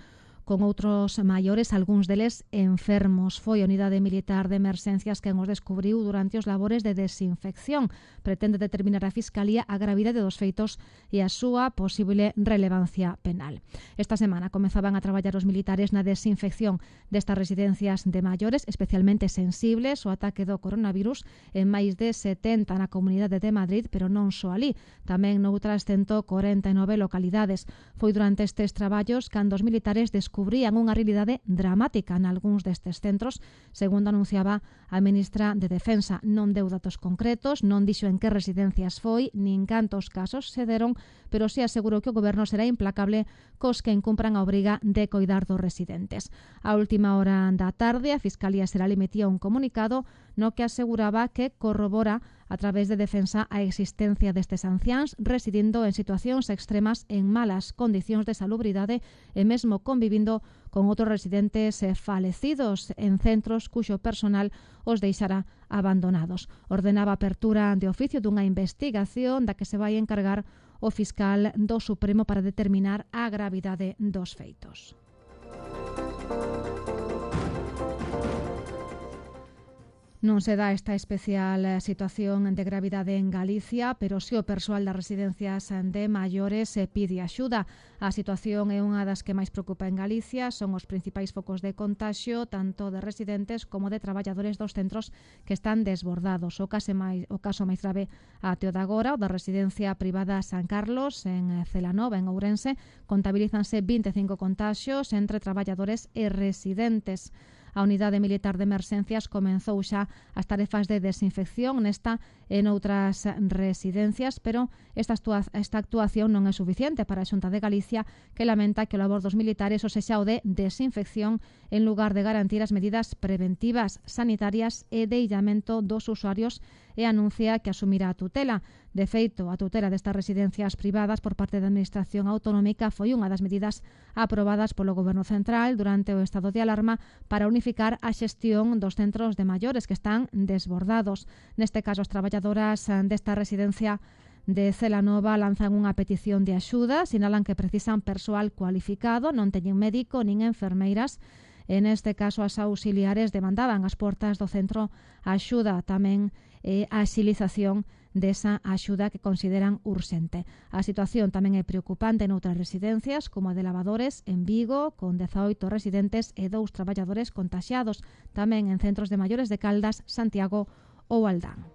con outros maiores, algúns deles enfermos. Foi a Unidade Militar de Emerxencias quen os descubriu durante os labores de desinfección. Pretende determinar a Fiscalía a gravidade dos feitos e a súa posible relevancia penal. Esta semana comezaban a traballar os militares na desinfección destas residencias de maiores, especialmente sensibles ao ataque do coronavirus, en máis de setenta na Comunidade de Madrid, pero non só ali, tamén noutras ciento corenta e nove localidades. Foi durante estes traballos cando os militares descubriron descubrían unha realidade dramática nalgúns destes centros, segundo anunciaba a ministra de Defensa. Non deu datos concretos, non dixo en que residencias foi, nin cantos casos se deron, pero si asegurou que o goberno será implacable cos que incumpran a obriga de coidar dos residentes. A última hora da tarde, a Fiscalía Xeral emitía un comunicado no que aseguraba que corrobora a través de Defensa a existencia destes anciáns residindo en situacións extremas en malas condicións de salubridade e mesmo convivindo con outros residentes falecidos en centros cuxo personal os deixará abandonados. Ordenaba a apertura de oficio dunha investigación da que se vai encargar o fiscal do Supremo para determinar a gravidade dos feitos. Non se dá esta especial situación de gravidade en Galicia, pero si o persoal das residencias de maiores pide axuda. A situación é unha das que máis preocupa en Galicia, son os principais focos de contaxio, tanto de residentes como de traballadores dos centros que están desbordados. O caso máis, o caso máis grave até o de agora, o da residencia privada San Carlos, en Celanova, en Ourense, contabilízanse vinte e cinco contaxios entre traballadores e residentes. A Unidade Militar de Emerxencias comenzou xa as tarefas de desinfección nesta e noutras residencias, pero esta, esta actuación non é suficiente para a Xunta de Galicia, que lamenta que o labor dos militares o sexa o de desinfección en lugar de garantir as medidas preventivas, sanitarias e de illamento dos usuarios, e anuncia que asumirá a tutela. De feito, a tutela destas residencias privadas por parte da Administración Autonómica foi unha das medidas aprobadas polo Goberno Central durante o estado de alarma para unificar a xestión dos centros de maiores que están desbordados. Neste caso, as traballadoras desta residencia de Celanova lanzan unha petición de axuda, sinalan que precisan persoal cualificado, non teñen médico nin enfermeiras. En este caso, as auxiliares demandaban as portas do centro a axuda, tamén e a axilización desa axuda que consideran urxente. A situación tamén é preocupante noutras residencias, como a de Lavadores, en Vigo, con dezaoito residentes e dous traballadores contaxiados, tamén en centros de maiores de Caldas, Santiago ou Aldán.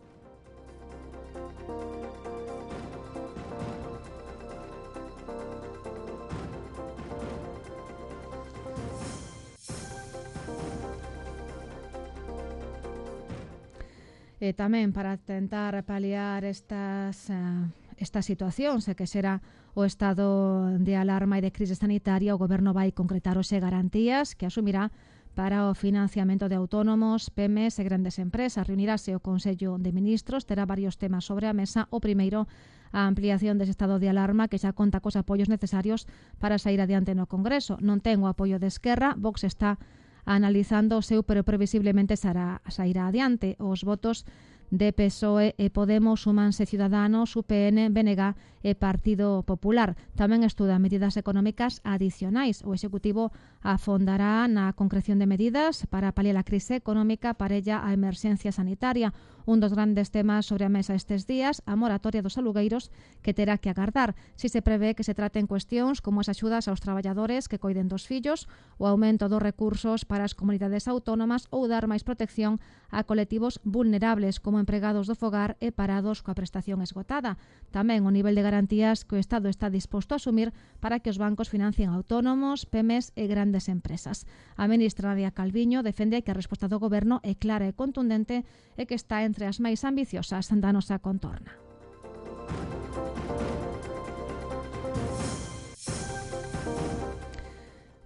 E tamén para tentar paliar estas, uh, esta situación, se que será o estado de alarma e de crise sanitaria, o Goberno vai concretar hoxe garantías que asumirá para o financiamento de autónomos, pymes e grandes empresas. Reunirase o Consello de Ministros, terá varios temas sobre a mesa. O primeiro, a ampliación dese estado de alarma que xa conta cos apoios necesarios para sair adiante no Congreso. Non ten o apoio de Esquerra, Vox está analizando o seu, pero previsiblemente sairá, sairá adiante. Os votos de P S O E e Podemos súmanse Ciudadanos, U P N, B N G e Partido Popular. Tamén estuda medidas económicas adicionais. O Executivo afondará na concreción de medidas para paliar a crise económica parella a emerxencia sanitaria. Un dos grandes temas sobre a mesa estes días, a moratoria dos alugueiros, que terá que agardar. Si se prevé que se traten cuestións como as axudas aos traballadores que coiden dos fillos, o aumento dos recursos para as comunidades autónomas ou dar máis protección a colectivos vulnerables como empregados do fogar e parados coa prestación esgotada. Tamén o nivel de garantías que o Estado está disposto a asumir para que os bancos financien autónomos, pymes e grandes empresas. A ministra Nadia Calviño defende que a resposta do Goberno é clara e contundente e que está entre as máis ambiciosas da nosa contorna.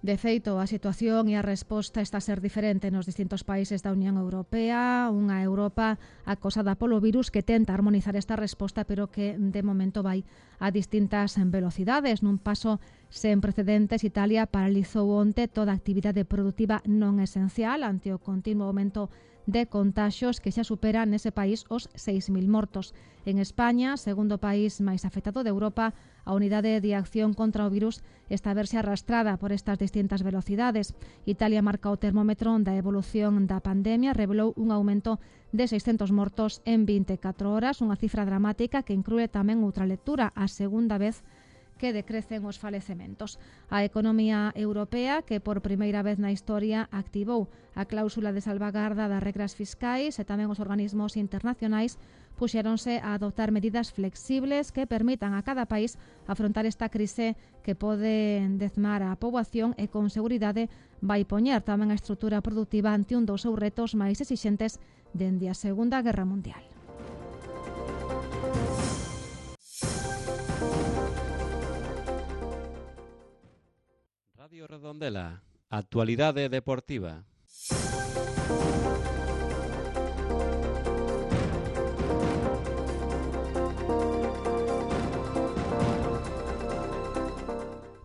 De feito, a situación e a resposta está a ser diferente nos distintos países da Unión Europea, unha Europa acosada polo virus que tenta armonizar esta resposta, pero que de momento vai a distintas velocidades. Nun paso sen precedentes, Italia paralizou onte toda a actividade produtiva non esencial ante o continuo aumento de contaxios que xa supera nese país os seis mil mortos. En España, segundo país máis afectado de Europa, a unidade de acción contra o virus está a verse arrastrada por estas distintas velocidades. Italia marca o termómetro da evolución da pandemia, revelou un aumento de seiscentos mortos en vinte e catro horas, unha cifra dramática que inclúe tamén outra lectura, a segunda vez que decrecen os falecementos. A economía europea, que por primeira vez na historia activou a cláusula de salvagarda das regras fiscais, e tamén os organismos internacionais puxéronse a adoptar medidas flexibles que permitan a cada país afrontar esta crise que pode dezmar a poboación e con seguridade vai poñer tamén a estrutura produtiva ante un dos seus retos máis exixentes dende a Segunda Guerra Mundial. Radio Redondela, actualidade deportiva.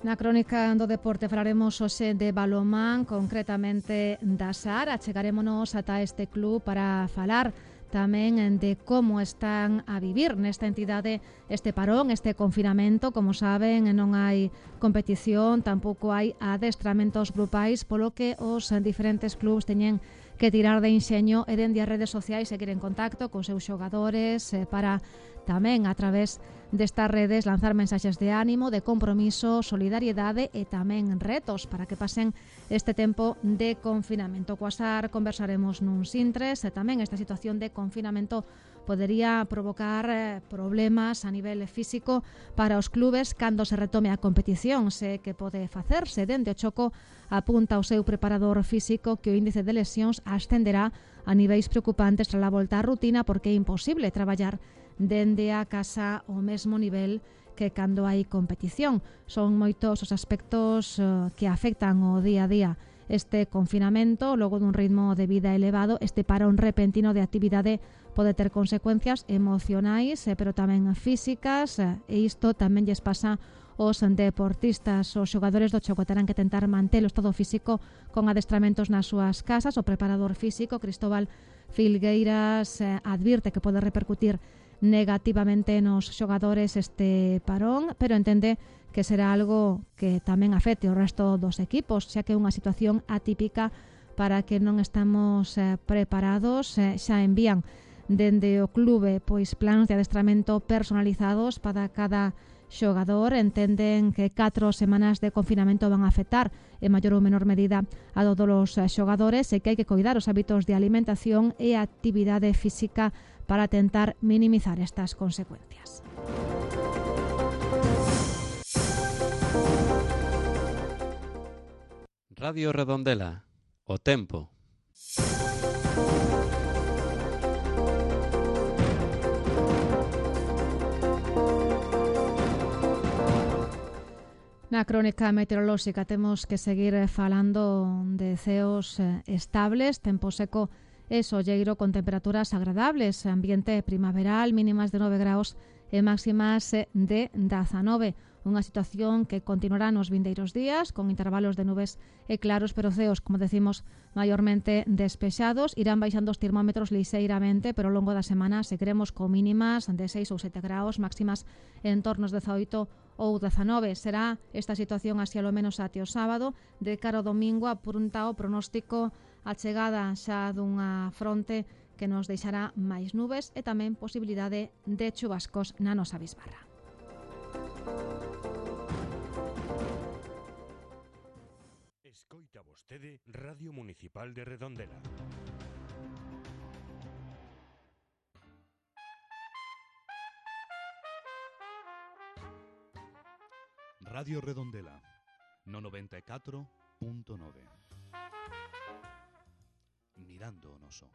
Na crónica do deporte falaremos hoxe de balonmán, concretamente da Sar. Achegarémonos ata este club para falar tamén de como están a vivir nesta entidade este parón, este confinamento. Como saben, non hai competición, tampouco hai adestramentos grupais, polo que os diferentes clubs teñen que tirar de enxeño e dende as redes sociais seguir en contacto con seus xogadores para tamén a través destas redes lanzar mensaxes de ánimo, de compromiso, solidariedade e tamén retos para que pasen este tempo de confinamento. Coa Sar conversaremos nuns intres e tamén esta situación de confinamento podería provocar eh, problemas a nivel físico para os clubes cando se retome a competición. Se que pode facerse dende o Choco apunta o seu preparador físico que o índice de lesións ascenderá a niveis preocupantes tras a volta á rutina, porque é imposible traballar dende a casa ao mesmo nivel que cando hai competición. Son moitos os aspectos uh, que afectan o día a día este confinamento. Logo dun ritmo de vida elevado, este parón repentino de actividade pode ter consecuencias emocionais, eh, pero tamén físicas, eh, e isto tamén lles pasa os deportistas. Os xogadores do Choco terán que tentar manter o estado físico con adestramentos nas súas casas. O preparador físico, Cristóbal Filgueiras, eh, advirte que pode repercutir negativamente nos xogadores este parón, pero entende que será algo que tamén afecte o resto dos equipos, xa que é unha situación atípica para que non estamos eh, preparados. Eh, xa envían dende o clube pois plans de adestramento personalizados para cada xogador. Entenden que catro semanas de confinamento van a afectar en maior ou menor medida a todos os xogadores e que hai que coidar os hábitos de alimentación e actividade física para tentar minimizar estas consecuencias. Radio Redondela, o tempo. Na Na crónica meteorolóxica temos que seguir falando de ceos estables, tempo seco e solleiro con temperaturas agradables, ambiente primaveral, mínimas de nove graus e máximas de dezanove. Unha situación que continuará nos vindeiros días, con intervalos de nubes e claros, pero ceos, como decimos, maiormente despexados. Irán baixando os termómetros lixeiramente, pero ao longo da semana seguiremos con mínimas de seis ou sete graus, máximas en torno aos dezaoito ou dezanove. Será esta situación así alo menos até o sábado. De cara ao domingo apunta o pronóstico a chegada xa dunha fronte que nos deixará máis nubes e tamén posibilidade de chubascos na nosa bisbarra. Escoita vostede Radio Municipal de Redondela. Radio Redondela, no noventa e catro punto nove. Mirando o noso.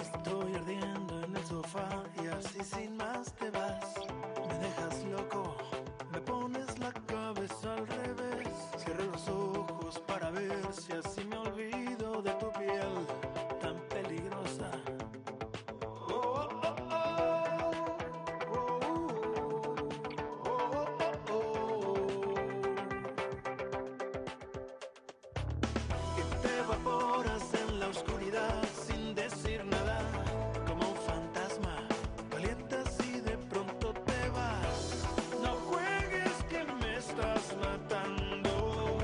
Estoy ardiendo en el sofá y así sin más te vas. Me dejas loco, me pones la cabeza al revés. Cierro los ojos para ver si así me olvido de tu piel tan peligrosa. Oh, oh, oh, oh, oh, oh, oh, oh. Y te evaporas en la oscuridad sin decir nada, como un fantasma, calientas y de pronto te vas. No juegues que me estás matando,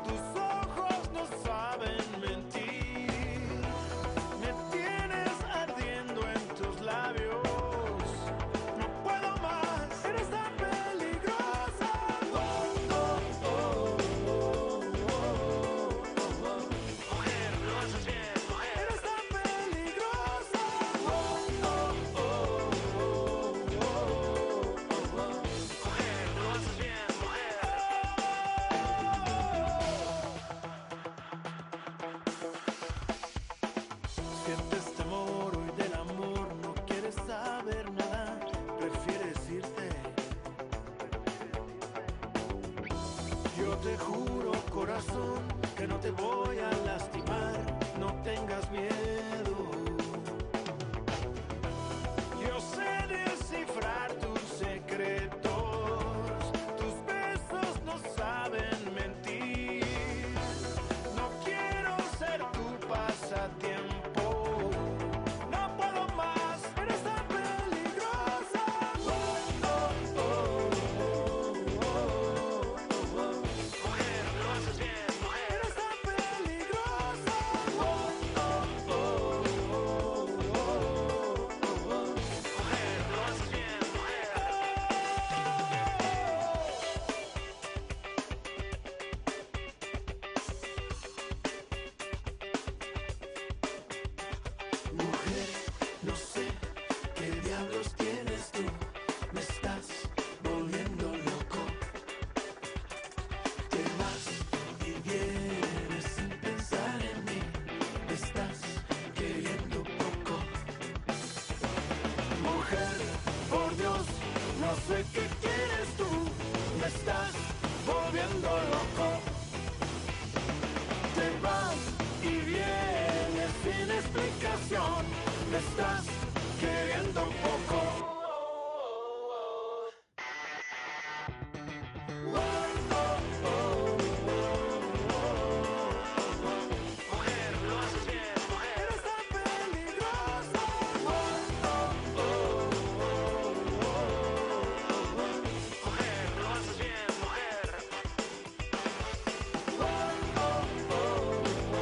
tus ojos no saben mentir, me tienes ardiendo en tus labios, no puedo más, eres tan peligrosa. Oh, oh, oh, oh, oh, oh, oh. Mujer, lo haces bien, mujer. Eres tan peligrosa. Oh, oh, oh, oh, oh, oh, oh. Mujer, lo haces bien, mujer. Sientes temor hoy del amor, no quieres saber nada, prefieres irte. Yo te juro, corazón, que no te voy a lastimar, no tengas miedo. Yo sé descifrar tus secretos, tus besos no saben mentir. No quiero ser tu pasatiempo, no puedo más, eres tan peligrosa. Oh, oh, oh, oh, oh, oh, oh. Mujer, lo haces bien, mujer. Eres tan peligrosa. Oh, oh, oh, oh, oh, oh, oh. Mujer, lo haces bien, mujer. Mujer, no sé qué diablos tienes tú, me estás volviendo loco. Te vas y vienes sin pensar en mí, me estás queriendo poco. Mujer, por Dios, no sé qué quieres tú, me estás volviendo loco. Te vas y vienes sin explicación, me estás queriendo poco. Oh, oh, oh, oh, oh. Mujer, lo haces bien, mujer. Eres tan peligrosa. Oh, oh, oh, oh, oh, oh. Mujer, lo haces bien, mujer. Oh, oh, oh, oh, oh,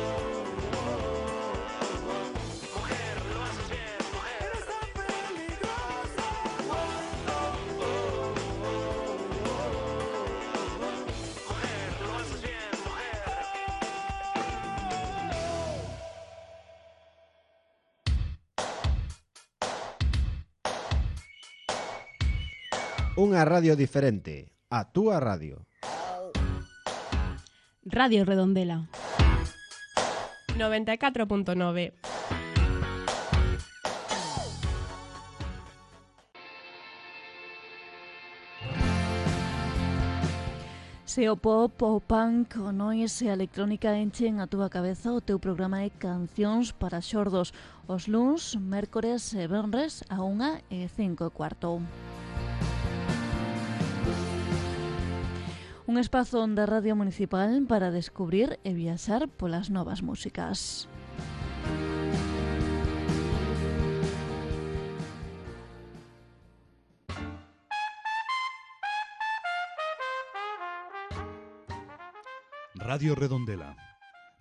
oh. Mujer, lo haces bien, mujer. Eres tan peligrosa. Oh, oh, oh, oh, oh, oh. Mujer, lo haces bien, mujer. Unha radio diferente, a túa radio. Radio Redondela noventa e catro punto nove. Se o pop, o punk, o noise e a electrónica enchen a túa cabeza, o teu programa é Cancións para Xordos, os luns, mércores e venres a unha e cinco e cuarto. Un espazo da Radio Municipal para descubrir e viaxar polas novas músicas. Radio Redondela,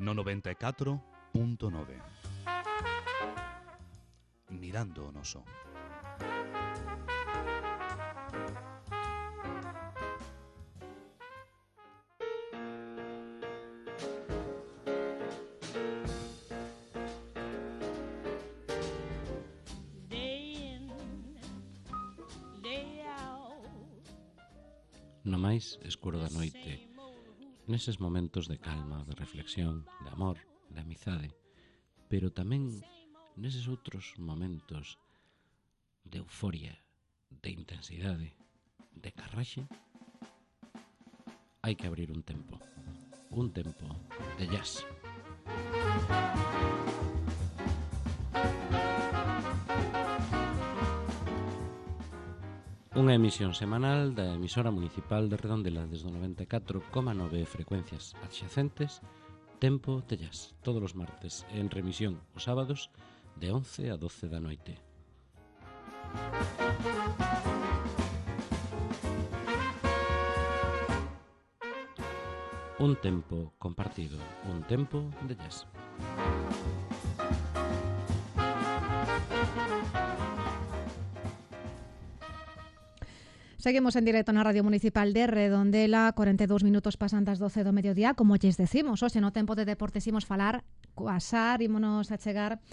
no noventa e catro punto nove. Mirando o noso. No máis escuro da noite, neses momentos de calma, de reflexión, de amor, de amizade, pero tamén neses outros momentos de euforia, de intensidade, de carraxe, hai que abrir un tempo, un tempo de jazz. Unha emisión semanal da emisora municipal de Redondela desde o noventa e catro coma nove frecuencias adxacentes, Tempo de Jazz, todos os martes, en remisión os sábados de once a doce da noite. Un tempo compartido, un tempo de jazz. Seguimos en directo na Radio Municipal de Redondela, cuarenta e dous minutos pasan das doce do mediodía, como lles decimos, hoxe no tempo de deportes imos falar coa Sar, ímonos a chegar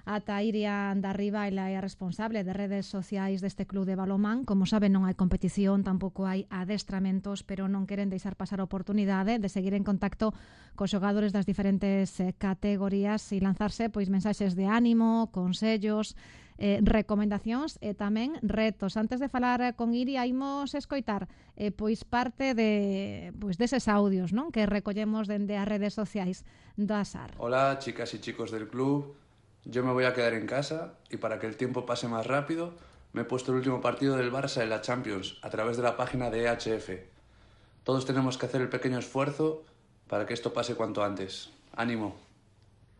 ata Iria Andarriba, ela é a responsable de redes sociais deste club de balonmán. Como saben, non hai competición, tampouco hai adestramentos, pero non queren deixar pasar a oportunidade de seguir en contacto cos xogadores das diferentes eh, categorías e lanzarse pois mensaxes de ánimo, consellos, eh, recomendacións e tamén retos. Antes de falar con Iria, imos escoitar eh, pois parte de pois deses audios, non, que recollemos dende as redes sociais da Sar. Hola, chicas y chicos del club. Yo me voy a quedar en casa y para que el tiempo pase más rápido me he puesto el último partido del Barça en la Champions a través de la página de E H F. Todos tenemos que hacer el pequeño esfuerzo para que esto pase cuanto antes. ¡Ánimo!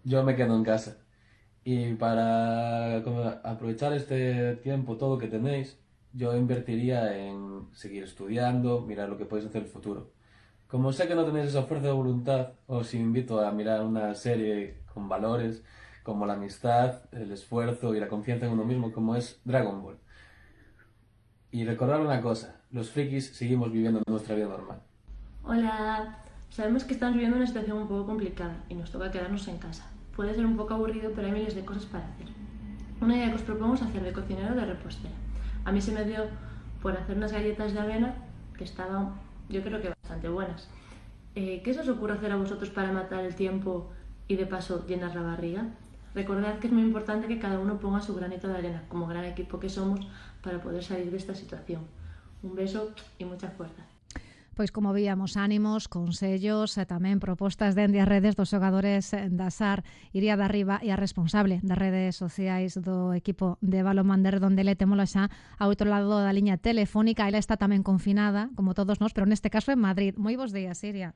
Yo me quedo en casa y para aprovechar este tiempo todo que tenéis, yo invertiría en seguir estudiando, mirar lo que podéis hacer en el futuro. Como sé que no tenéis esa fuerza de voluntad, os invito a mirar una serie con valores como la amistad, el esfuerzo y la confianza en uno mismo, como es Dragon Ball. Y recordar una cosa, los frikis seguimos viviendo nuestra vida normal. Hola, sabemos que estamos viviendo una situación un poco complicada y nos toca quedarnos en casa. Puede ser un poco aburrido, pero hay miles de cosas para hacer. Una idea que os propongo es hacer de cocinero o de repostera. A mí se me dio por hacer unas galletas de avena que estaban, yo creo que bastante buenas. Eh, ¿Qué se os ocurre hacer a vosotros para matar el tiempo y de paso llenar la barriga? Recordad que es muy importante que cada uno ponga su granito de arena, como gran equipo que somos, para poder salir de esta situación. Un beso y mucha fuerza. Pois como víamos, ánimos, consellos e tamén propostas dende as redes dos xogadores da Sar. Iria Andarriba e a responsable das redes sociais do equipo de balonmán de Redondela, témola xa ao outro lado da liña telefónica. Ela está tamén confinada, como todos nós, pero neste caso en Madrid. Moi bons días, Iria.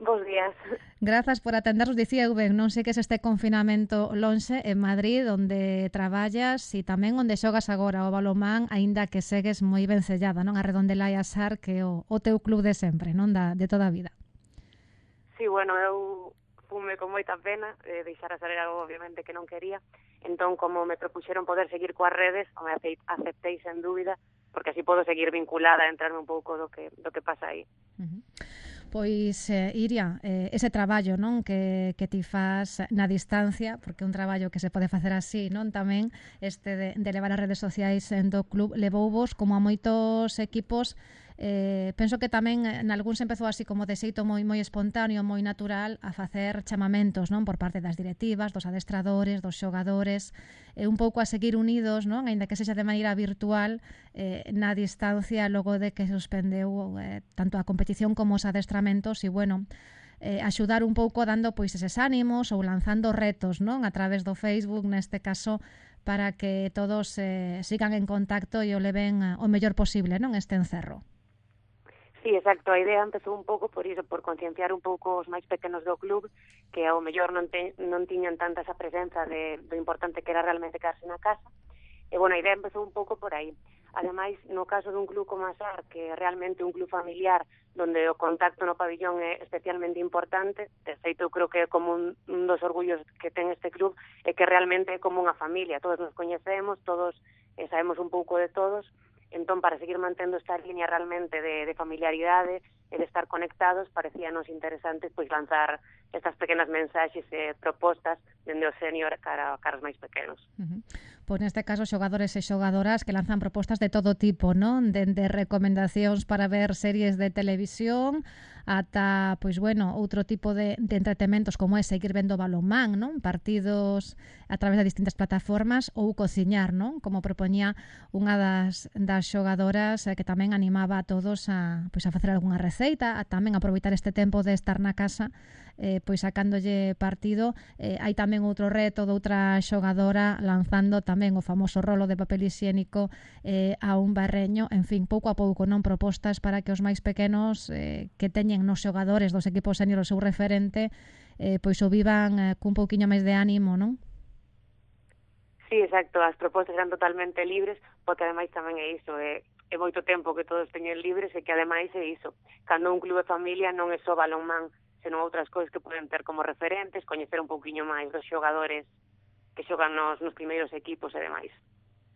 Bos días. Grazas por atendernos. Dicía eu ben, non sei que es este confinamento lonxe en Madrid, onde traballas e tamén onde xogas agora o balonmán, aínda que segues moi vencellada, non? A Redondela e a Sar, que é o, o teu club de sempre, non? Da, de toda a vida. Sí, bueno, eu fume con moita pena, eh, deixar a Sar era algo obviamente que non quería, entón como me propuxeron poder seguir coas redes, me aceptei sen dúbida, porque así podo seguir vinculada, entrarme un pouco do que, do que pasa aí. Uh-huh. Pois, eh, Iria, eh, ese traballo, non, que, que ti faz na distancia, porque é un traballo que se pode facer así, non, tamén este de, de levar as redes sociais do club, levou vos, como a moitos equipos, Eh, penso que tamén nalgún se empezou así como de xeito moi moi espontáneo, moi natural a facer chamamentos, non, por parte das directivas, dos adestradores, dos xogadores, e un pouco a seguir unidos, non, aínda que sexa de maneira virtual, eh, na distancia logo de que suspendeu eh, tanto a competición como os adestramentos, e bueno, Eh, axudar un pouco dando pois eses ánimos ou lanzando retos, non, a través do Facebook neste caso, para que todos eh, sigan en contacto e o leven eh, o mellor posible, non, este encerro. Sí, exacto, a idea empezou un pouco por iso, por concienciar un pouco os máis pequenos do club, que ao mellor non, te, non tiñan tanta esa presenza de, do importante que era realmente quedarse na casa. E, bueno, a idea empezou un pouco por aí. Ademais, no caso dun club como a SAR, que é realmente un club familiar, donde o contacto no pabillón é especialmente importante, de feito, eu creo que é como un, un dos orgullos que ten este club, é que realmente é como unha familia, todos nos coñecemos, todos eh, sabemos un pouco de todos, entón, para seguir mantendo esta línea realmente de, de familiaridade e de estar conectados, parecíanos interesantes pois lanzar estas pequenas mensaxes e propostas dende o senior cara, cara os máis pequenos. Uh-huh. Pois neste caso xogadores e xogadoras que lanzan propostas de todo tipo, non? Dende recomendacións para ver series de televisión ata, pois bueno, outro tipo de, de entretementos como é seguir vendo balonmán, non? Partidos a través de distintas plataformas ou cociñar, non? Como propoñía unha das, das xogadoras eh, que tamén animaba a todos a, pois a facer algunha receita, a tamén aproveitar este tempo de estar na casa eh, pois sacándolle partido. Eh, hai tamén outro reto de outra xogadora lanzando tamén o famoso rolo de papel higiénico eh, a un barreño, en fin, pouco a pouco, non, propostas para que os máis pequenos eh, que teñen nos xogadores dos equipos senior o seu referente eh, pois o vivan eh, cun pouquiño máis de ánimo, non? Sí, exacto, as propostas eran totalmente libres, porque ademais tamén é iso, é, é moito tempo que todos teñen libres e que ademais é iso, cando un clube de familia non é só balonmán, senón outras cousas que poden ter como referentes, coñecer un pouquiño máis dos xogadores que xogan nos, nos primeiros equipos e demais.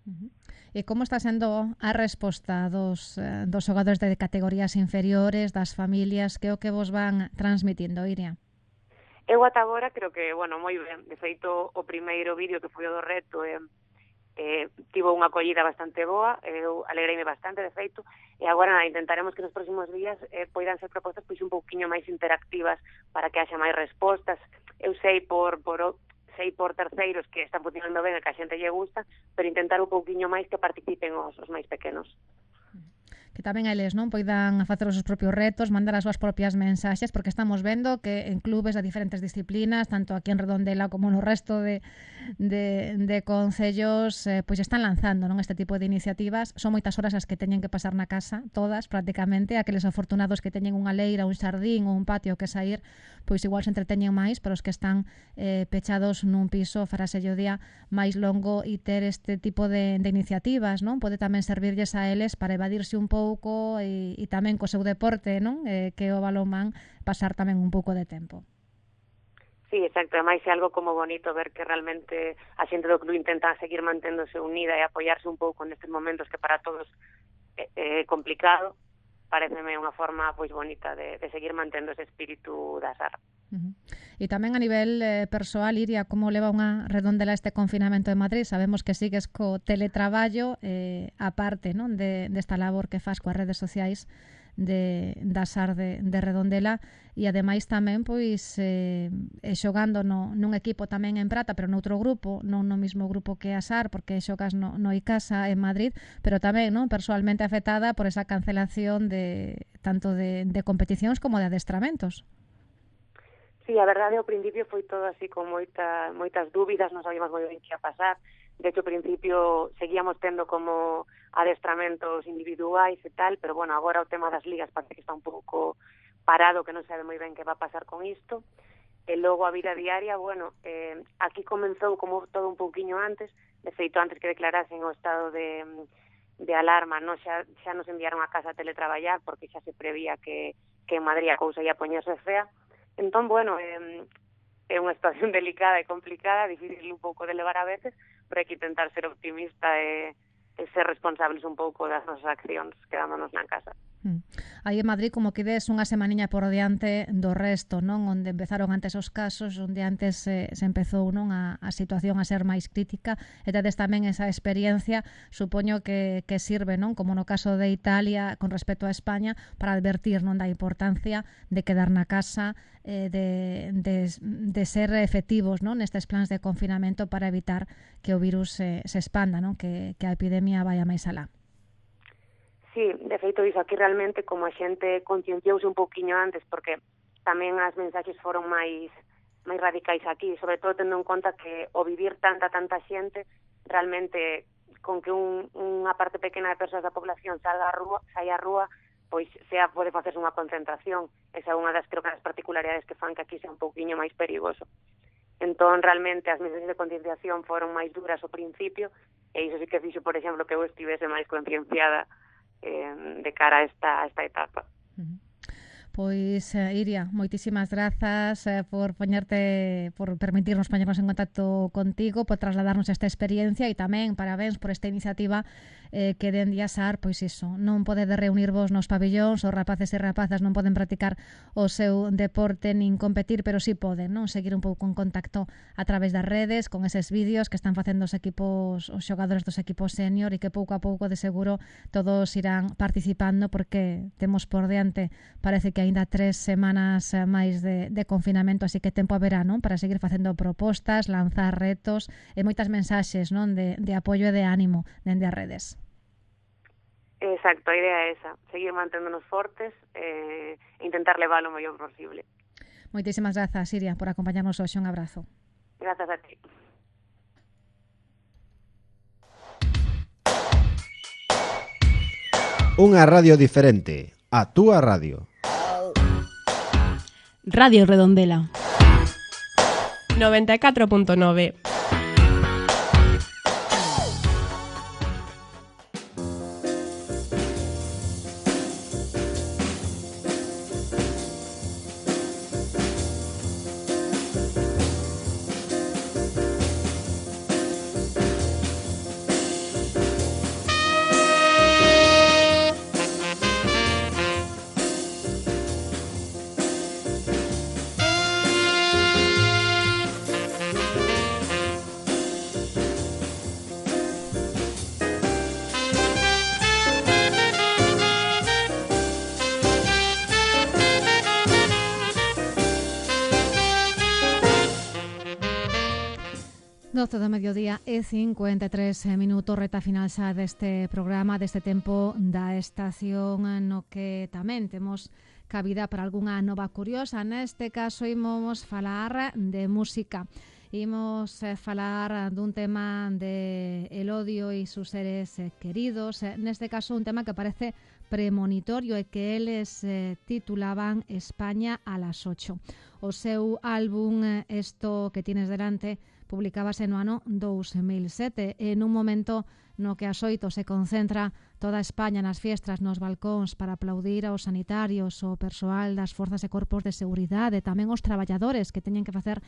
Uh-huh. E como está sendo a resposta dos, eh, dos xogadores de categorías inferiores, das familias, que o que vos van transmitindo, Iria? Eu ata agora creo que, bueno, moi ben. De feito, o primeiro vídeo que foi o do reto eh, eh, tivo unha acollida bastante boa, eu alegreime bastante, de feito, e agora nada, intentaremos que nos próximos días eh, poidan ser propostas pois un pouquiño máis interactivas para que haxa máis respostas. Eu sei por, por sei por terceiros que están funcionando ben e que a xente lle gusta, pero intentar un pouquiño máis que participen os, os máis pequenos. Que tamén eles non poidan facer os seus propios retos, mandar as súas propias mensaxes, porque estamos vendo que en clubes de diferentes disciplinas, tanto aquí en Redondela como no resto de, de, de concellos, eh, pois están lanzando non este tipo de iniciativas. Son moitas horas as que teñen que pasar na casa, todas prácticamente, aqueles afortunados que teñen unha leira, un xardín ou un patio que sair, pois igual se entreteñen máis, pero os que están eh, pechados nun piso farase o día máis longo e ter este tipo de, de iniciativas, non? Pode tamén servirlles a eles para evadirse un pouco pouco e, e tamén co seu deporte, non? Eh, que o balonmán, pasar tamén un pouco de tempo. Sí, exacto, ademais é algo como bonito ver que realmente a xente do club intenta seguir manténdose unida e apoiarse un pouco nestes momentos que para todos é, é complicado. Pareceme unha forma pois bonita de, de seguir mantendo ese espírito da SAR. Uh-huh. E tamén a nivel eh, persoal, Iria, como leva unha Redondela este confinamento de Madrid? Sabemos que sigues co teletraballo eh, aparte, non, de desta labor que faz coas redes sociais de, da SAR de, de Redondela, e ademais tamén pois eh, xogando no, nun equipo tamén en Prata, pero noutro grupo, non no mismo grupo que a SAR, porque xogas no, no Icasa en Madrid, pero tamén non persoalmente afectada por esa cancelación de tanto de, de competicións como de adestramentos. Sí, a verdade, ao principio foi todo así con moita, moitas dúbidas, non sabíamos moi ben que ia pasar. De hecho, ao principio seguíamos tendo como adestramentos individuais e tal, pero bueno, agora o tema das ligas parece que está un pouco parado, que non sabe moi ben que va a pasar con isto. E logo a vida diaria, bueno, eh, aquí comenzou como todo un pouquiño antes, de feito antes que declarasen o estado de, de alarma, non xa, xa nos enviaron a casa a teletraballar, porque xa se prevía que, que en Madrid a cousa ia poñerse fea. Entón, bueno, eh, é unha situación delicada e complicada, difícil un pouco de levar a veces, pero hai que intentar ser optimista e, e ser responsables un pouco das nosas accións quedándonos na casa. Aí en Madrid como que des unha semaniña por diante do resto, non? Onde empezaron antes os casos, onde antes se, se empezou, non, a, a situación a ser máis crítica, e tedes tamén esa experiencia, supoño que, que sirve, non? Como no caso de Italia con respecto a España, para advertir, non, da importancia de quedar na casa, eh, de, de, de ser efectivos, non, nestes plans de confinamento para evitar que o virus se, se expanda, non? Que, que a epidemia vaya máis alá. Sí, de feito, iso aquí realmente como a xente concienciouse un pouquiño antes, porque tamén as mensaxes foron máis máis radicais aquí, sobre todo tendo en conta que o vivir tanta, tanta xente, realmente con que un, unha parte pequena de persoas da población salga a rúa, saia a rúa, pois sea pode facerse unha concentración. Esa é unha das, creo que, das particularidades que fan que aquí sea un pouquiño máis perigoso. Entón, realmente, as mensaxes de concienciación foron máis duras ao principio, e iso sí que fixo, por exemplo, que eu estivese máis concienciada Eh, de cara a esta, a esta etapa. Uh-huh. Pois, eh, Iria, moitísimas grazas eh, por poñerte, por permitirnos poñernos en contacto contigo, por trasladarnos esta experiencia, e tamén parabéns por esta iniciativa eh, que den Diasar, pois iso, non podedes reunirvos nos pabillóns, os rapaces e rapazas non poden practicar o seu deporte nin competir, pero sí poden, non, seguir un pouco en contacto a través das redes, con eses vídeos que están facendo os equipos, os xogadores dos equipos senior, e que pouco a pouco de seguro todos irán participando, porque temos por diante, parece que aínda tres semanas máis de, de confinamento, así que tempo haberá, non, para seguir facendo propostas, lanzar retos e moitas mensaxes, non, de, de apoio e de ánimo dende as redes. Exacto, a idea é esa, seguir manténdonos fortes e eh, intentar levar o mellor posible. Moitísimas grazas, Iria, por acompañarnos hoxe. Un abrazo. Grazas a ti. Unha radio diferente, a túa radio. Radio Redondela noventa e catro punto nove. doce do mediodía e cincuenta e tres minutos, reta final xa deste programa, deste tempo da estación, no que tamén temos cabida para algunha nova curiosa. Neste caso imos falar de música. Imos eh, falar dun tema de el odio e sus seres eh, queridos. Neste caso un tema que parece premonitorio e que eles eh, titulaban España a las ocho. O seu álbum eh, Esto que tienes delante publicábase no ano dous mil sete, en un momento no que ás oito se concentra toda España nas fiestras, nos balcóns, para aplaudir aos sanitarios, o persoal das forzas e corpos de seguridade, tamén os traballadores que teñen que facer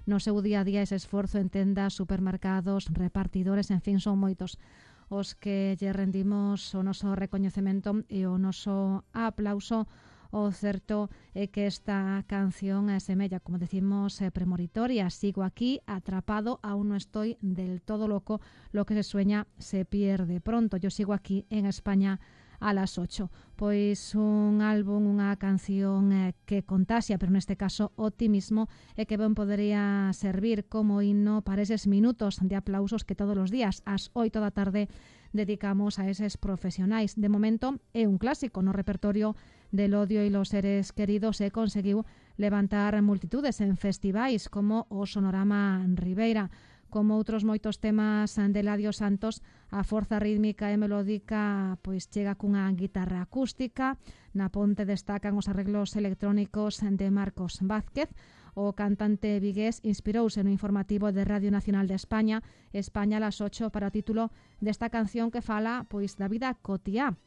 no seu día a día ese esforzo en tendas, supermercados, repartidores, en fin, son moitos os que lle rendimos o noso recoñecemento e o noso aplauso. O certo é que esta canción é semella, como decimos, eh, premonitoria. Sigo aquí, atrapado, aún no estoy del todo loco, lo que se sueña se pierde pronto. Yo sigo aquí en España a las ocho. Pois un álbum, unha canción eh, que contaxia, pero neste caso optimismo, e que ben podería servir como himno para eses minutos de aplausos que todos os días ás oito da tarde dedicamos a eses profesionais. De momento é un clásico no repertorio del odio e los seres queridos, e conseguiu levantar multitudes en festivais como o Sonorama Ribeira. Como outros moitos temas de Eladio Santos, a forza rítmica e melódica pois chega cunha guitarra acústica. Na ponte destacan os arreglos electrónicos de Marcos Vázquez. O cantante vigués inspirouse no informativo de Radio Nacional de España, España a las ocho, para o título desta canción que fala pois da vida cotiá.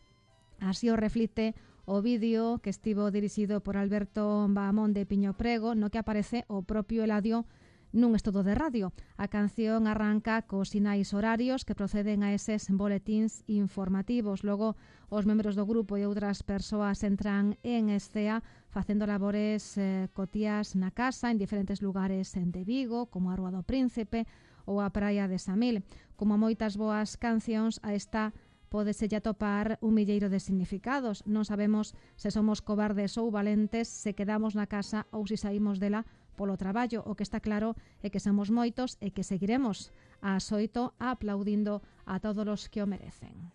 Así o reflite o vídeo que estivo dirixido por Alberto Bahamón de Piño Prego, no que aparece o propio Eladio nun estudo de radio. A canción arranca cos sinais horarios que proceden a eses boletíns informativos. Logo, os membros do grupo e outras persoas entran en escea facendo labores eh, cotías na casa en diferentes lugares de Vigo, como a Rúa do Príncipe ou a Praia de Samil. Como moitas boas cancións, a esta pódese lle atopar un milleiro de significados. Non sabemos se somos cobardes ou valentes, se quedamos na casa ou se saímos dela polo traballo. O que está claro é que somos moitos e que seguiremos a xoito aplaudindo a todos os que o merecen.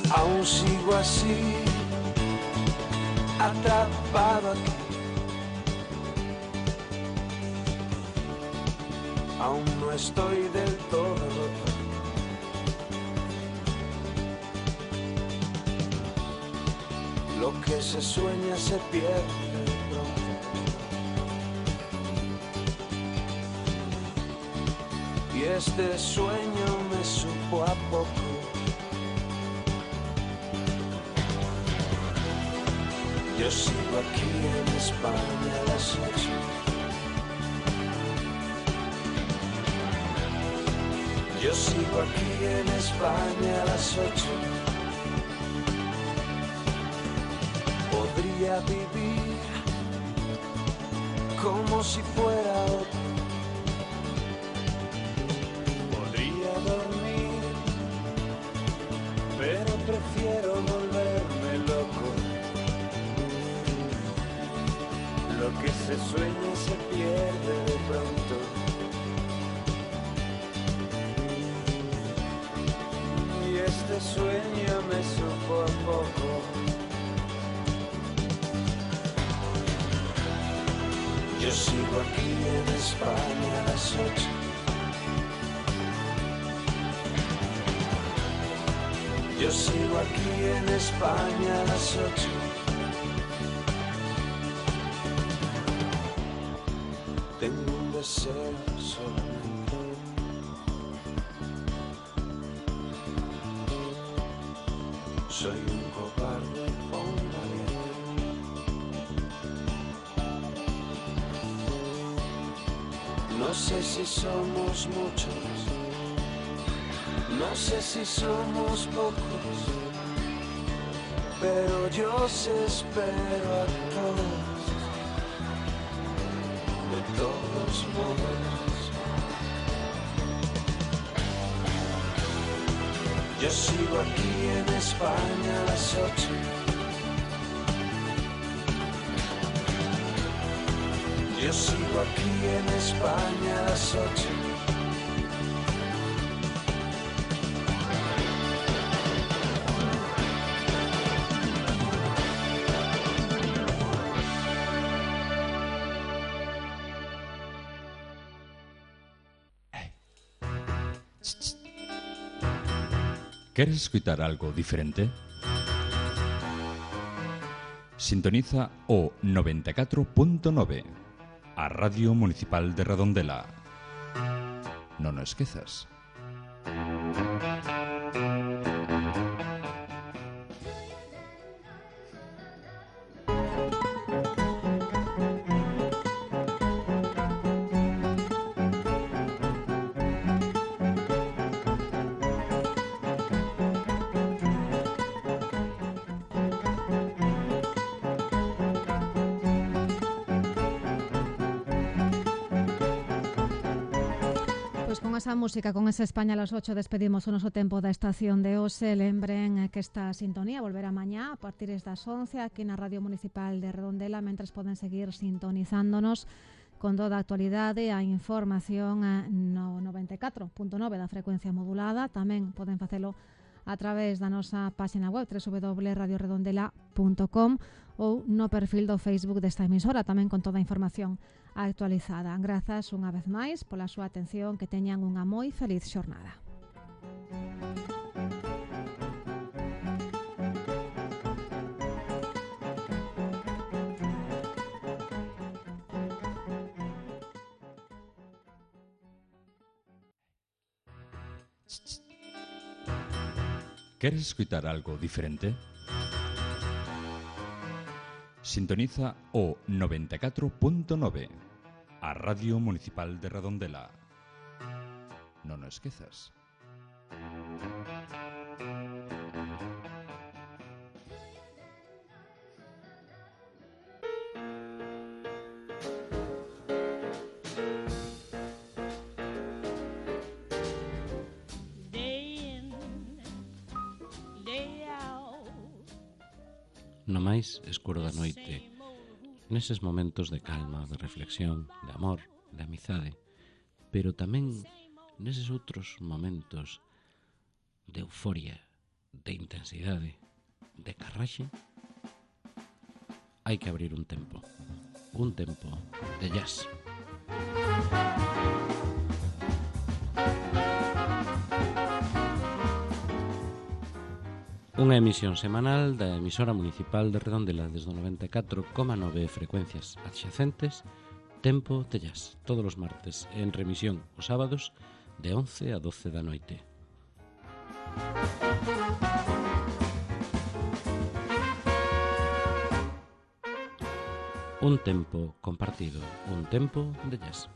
Aún sigo así, atrapado aquí. Aún no estoy del todo roto. Lo que se sueña se pierde pronto. Y este sueño me supo a poco. Yo sigo aquí en España a las ocho. Yo sigo aquí en España a las ocho. Podría vivir como si fuera otro. Podría dormir, pero prefiero volverme loco. Lo que se sueña se pierde de pronto. Este sueño me supo a poco. Yo sigo aquí en España a las ocho. Yo sigo aquí en España a las ocho. Tengo un deseo solamente. Soy un cobarde o un valiente. No sé si somos muchos, no sé si somos pocos, pero yo os espero a todos, de todos modos. Yo sigo aquí en España a las ocho. Yo sigo aquí en España a las ocho. ¿Queres escuchar algo diferente? Sintoniza o noventa e catro punto nove, a Radio Municipal de Redondela. Non o esquezas. Esa música, con esa España a las ocho, despedimos o noso tempo da estación de hoxe. Lembren que esta sintonía volverá mañá a partir das once aquí na Radio Municipal de Redondela, mentres poden seguir sintonizándonos con toda a actualidade, a información no noventa e catro punto nove da frecuencia modulada. Tamén poden facelo a través da nosa página web w w w punto radio redondela punto com ou no perfil do Facebook desta emisora, tamén con toda a información actualizada. Grazas unha vez máis pola súa atención, que teñan unha moi feliz xornada. ¿Queres escuchar algo diferente? Sintoniza o noventa e catro punto nove, a Radio Municipal de Redondela. Non o esquezas. No máis escuro da noite, neses momentos de calma, de reflexión, de amor, de amizade, pero tamén neses outros momentos de euforia, de intensidade, de carraxe, hai que abrir un tempo, un tempo de jazz. Unha emisión semanal da emisora municipal de Redondela desde o noventa e catro coma nove frecuencias adxacentes, Tempo de Jazz, todos os martes, en remisión os sábados de once a doce da noite. Un tempo compartido, un tempo de jazz.